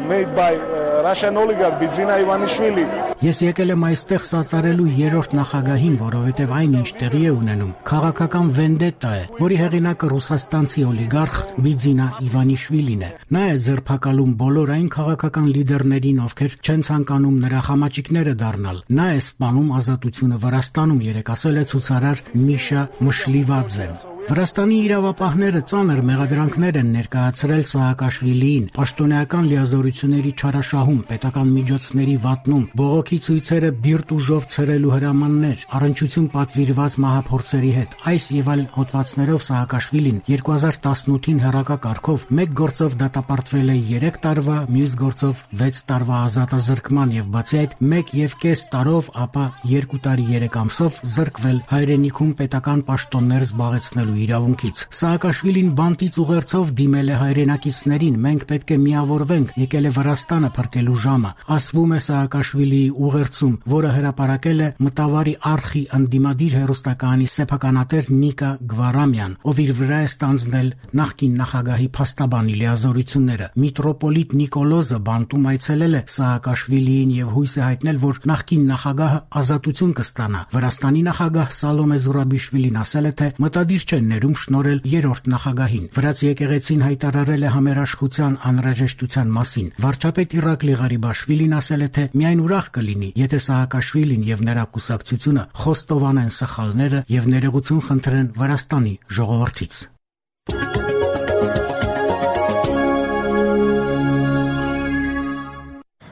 made by Russian oligarch Bidzina Ivanishvili. Ես եկել եմ այստեղ սատարելու երրորդ նախագահին, որովհետև այն ինչ տեղի է ունենում, քաղաքական վենդետա է, որի հեղինակը ռուսաստանցի օլիգարխ Բիձինա Իվանիշվիլին է։ Նա է ձերբակալում բոլոր այն քաղաքական լիդերներին, ովքեր չեն ցանկանում նրա խամաճիկները դառնալ։ Նա է սպանում ազատությունը Վրաստանում, երեք ասել է ցուցարար Միշա Մշլիվաձեն։ Վրաստանի իրավապահները ծանր մեղադրանքներ են ներկայացրել Սաակաշվիլիին, պաշտոնեական լիազորությունների չարաշահում, պետական միջոցների վատնում, բողոքի ցույցերը բիրտ ուժով ցրելու հրամաններ, առնչություն պատվիրված մահափորձերի հետ։ Այս եւ այլ հոդվածներով Սաակաշվիլին 2018-ին հեռակակարգով մեկ գործով դատապարտվել է 3 տարվա, մյուս գործով 6 տարվա ազատազրկման եւ բացի այդ 1.5 տարով, ապա 2 տարի 3 ամսով զրկվել հայրենիքում պետական պաշտոններ զբաղեցնելու իրավունքից։ Սաակաշվիլին բանտից ուղերձով դիմել է հայրենակիցներին. մենք պետք է միավորվենք, եկել է Վրաստանը փրկելու ժամը, ասվում է Սաակաշվիլիի ուղերձում, որը հրապարակել է Մտավարի արխի ընդդիմադիր հեռուստականի սեփականատեր Նիկա Գվարամյան, ով իր վրա է ստանձնել նախկին նախագահի փաստաբանի լիազորությունները։ Միտրոպոլիտ Նիկոլոզը բանտում այցելել է Սաակաշվիլիին եւ հույս է հայտնել, որ նախկին նախագահը ազատություն կստանա։ Վրաստանի նախագահ Սալոմե Զուրաբիշվիլին ասել է, թե մտադիր չեն ներում շնորհել երրորդ նախագահին։ Վրաց եկեղեցին հայտարարել է համերաշխության անհրաժեշտության մասին։ Վարչապետ Իրակլի Ղարիբաշվիլին ասել է, թե միայն ուրախ կլինի, եթե Սաակաշվիլին եւ նրա կուսակցությունը խոստովանեն սխալները եւ ներողություն խնդրեն Վրաստանի ժողովրդից։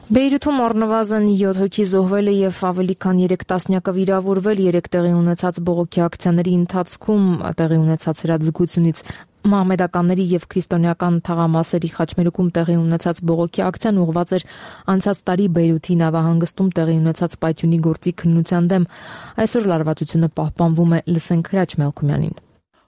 Բեյրութում առնվազն 7 հոգի զոհվել է եւ ավելի քան 3 տասնյակը վիրավորվել 3 տեղի ունեցած բողոքի ակցիաների ընթացքում տեղի ունեցած հրաձգությունից։ Մահմեդականների եւ քրիստոնեական թաղամասերի խաչմերուկում տեղի ունեցած բողոքի ակցիան ուղղված էր անցած տարի Բեյրութի նավահանգստում տեղի ունեցած պայթյունի գործի քննության դեմ։ Այսօր լարվածությունը պահպանվում է, լսենք Հրաչ Մելքումյանին։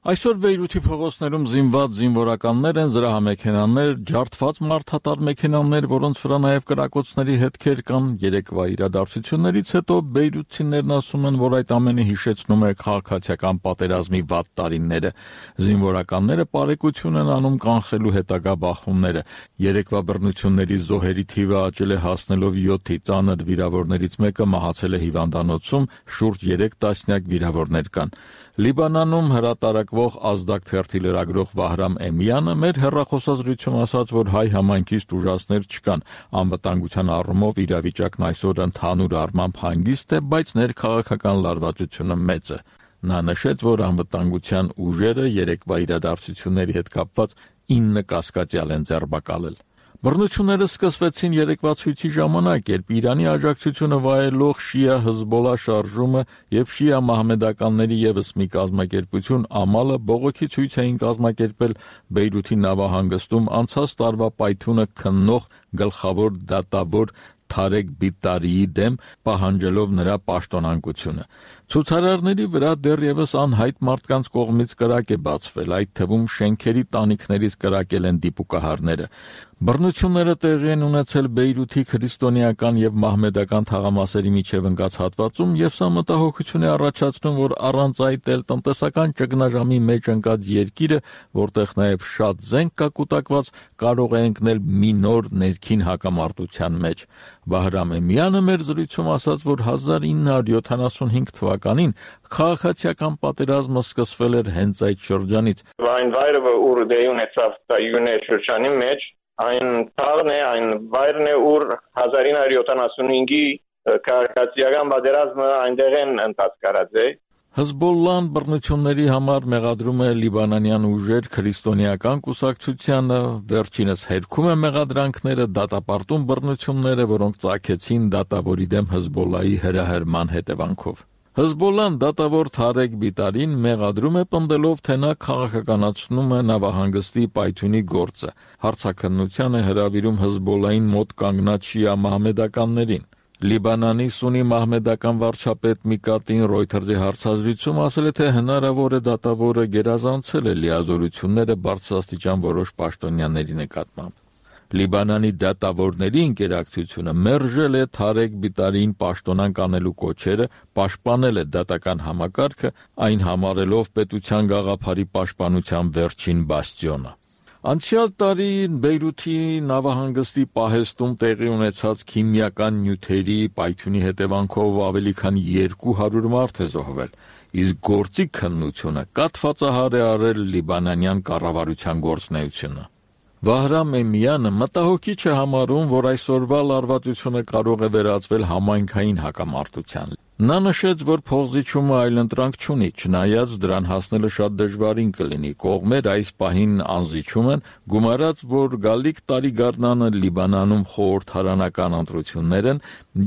Այսօր Բեյրութի փողոցներում զինված զինվորականներ են, զրահամեքենաներ, ջարդված մարդատար մեքենաներ, որոնց վրա նաև կրակոցների հետքեր կան։ Երեկվա իրադարձություններից հետո բեյրութցիներն ասում են, որ այդ ամենը հիշեցնում է քաղաքացիական պատերազմի վատ տարիները։ Զինվորականները բարեկություն են անում կանխելու հետագա բախումները։ Երեկվա բռնությունների զոհերի թիվը աճել է հասնելով 7-ի, ծանր վիրավորներից մեկը մահացել է հիվանդանոցում, շուրջ 3 տասնյակ վիրավորներ կան։ Լիբանանում հրատարակվող Ազդակ թերթի լրագրող Վահրամ Էմյանը մեր հեռախոսազրույցում ասաց, որ հայ համայնքից տուժածներ չկան։ Անվտանգության առումով իրավիճակն այսօր ընդհանուր առմամբ հանգիստ է, բայց ներքաղաքական լարվածությունը մեծ է։ Նա նշեց, որ անվտանգության ուժերը երեկվա իրադարձությունների հետ կապված 9 կասկածյալ են ձերբակալել։ Բռնությունները սկսվեցին երեկվա ցույցի ժամանակ, երբ Իրանի աջակցությունը վայելող շիա Հզբոլա շարժումը եւ շիա մահմեդականների եւս մի կազմակերպություն Ամալը բողոքի ցույց էին կազմակերպել Բեյրութի նավահանգստում անցած տարվա պայթյունը քննող գլխավոր դատավոր Թարեկ Բիտարիի դեմ, պահանջելով նրա պաշտոնանկությունը։ Ցուցարարների վրա դեռևս անհայտ մարդկանց կողմից կրակ է բացվել, այդ թվում շենքերի տանիքներից կրակել են դիպուկահարները։ Բռնությունները տեղի են ունեցել Բեյրութի քրիստոնեական եւ մահմեդական թաղամասերի միջև ընկած հատվածում եւ սա մտահոգություն է առաջացնում, որ առանց այդ էլ տնտեսական ճգնաժամի մեջ ընկած երկիրը, որտեղ նաեւ շատ զենք կա կուտակված, կարող է ընկնել մի նոր ներքին հակամարտության մեջ։ Վահրամ Էմյանը մեր զրույցում ասաց, որ 1975 թվականին քաղաքացիական պատերազմը սկսվել էր հենց այդ շրջանից։ Այն վայրը, որ դեպի ունեցավ յունե շրջանի մեջ, այն թաղն է, այն վայրն է, ուր 1975-ի քաղաքացիական պատերազմը այնտեղ են ընթացկարած է։ Հզբոլլան բռնությունների համար մեղադրում է լիբանանյան ուժեր քրիստոնեական կուսակցությանը, վերջինս հերքում է մեղադրանքները, դատապարտում բռնությունները, որոնք ծագեցին դատավորի դեմ Հզբոլլայի հրահրման հետևանքով։ Հզբոլլան դատավոր Թարեկ Բիտարին մեղադրում է պնդելով, թե նա քաղաքականացնում է նավահանգստի պայթյունի գործը։ Հարցաքննության է հրավիրում Հզբոլլային մոտ կանգնած շիա մահմեդականներին։ Լիբանանի Սունի մահմեդական վարչապետ Միկատին Ռոյթերզի հարցազրույցում ասել է, թե հնարավոր է դատավորը գերազանցել է լիազորությունները բարձրաստիճան որոշ պաշտոնյաների նկատմամբ։ Լիբանանի դատավորների ինտերակցիությունը մերժել է Թարեկ Բիտարին պաշտոնանկ անելու կոչերը, պաշտպանել է դատական համակարգը, այն համարելով պետության գաղափարի պաշտպանության վերջին բաստիոնը։ Անցյալ տարի Բեյրութի նավահանգստի պահեստում տեղի ունեցած քիմիական նյութերի պայթյունի հետևանքով ավելի քան 200 մարդ է զոհվել, իսկ գործի քննությունը կաթվածահար է արել լիբանանյան կառավարության գործունեությունը։ Վահրամ Էմյանը մտահոգիչ է համարում, որ այսօրվա լարվածությունը կարող է վերածվել համայնքային հակամարտության։ Նա նշեց, որ փողզիչումը այլընտրանք չունի, չնայած դրան հասնելը շատ դժվարին կլինի։ Կողմեր այս պահին անզիջում են, գումարած, որ գալիք տարի գարնանը Լիբանանում խորհրդարանական ընտրություններ են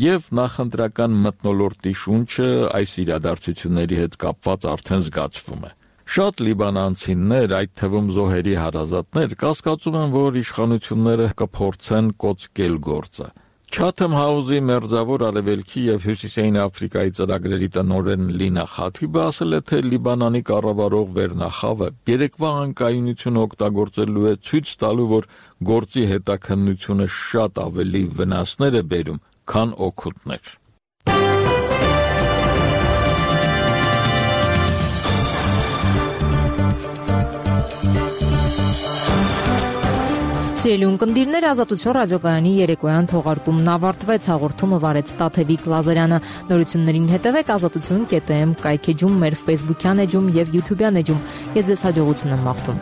եւ նախընտրական մթնոլորտի շունչը այս իրադարձությունների հետ կապված արդեն զգացվում է։ Շատ լիբանանցիներ, այդ թվում զոհերի հարազատներ, կասկածում են, որ իշխանությունները կփորձեն կոծկել գործը։ Chatham House-ի մերձավոր արևելքի եւ հյուսիսային Աֆրիկայի ծրագրերի տնօրեն Լինա Խաթիբը ասել է, թե Լիբանանի կառավարող վերնախավը երեկվա անկայունությունը օգտագործելու է ցույց տալու, որ գործի հետաքննությունը շատ ավելի վնասներ է բերում, քան օգուտներ։ Սիրելի ունկնդիրներ, Ազատություն ռադիոկայանի երեկոյան թողարկումն ավարտվեց, հաղորդումը վարեց Տաթևիկ Լազարյանը։ Նորություններին հետևեք azatutun.am կայքեջում, մեր Facebook-յան էջում եւ YouTube-յան էջում։ Ես ձեզ հաջողություն եմ մաղթում։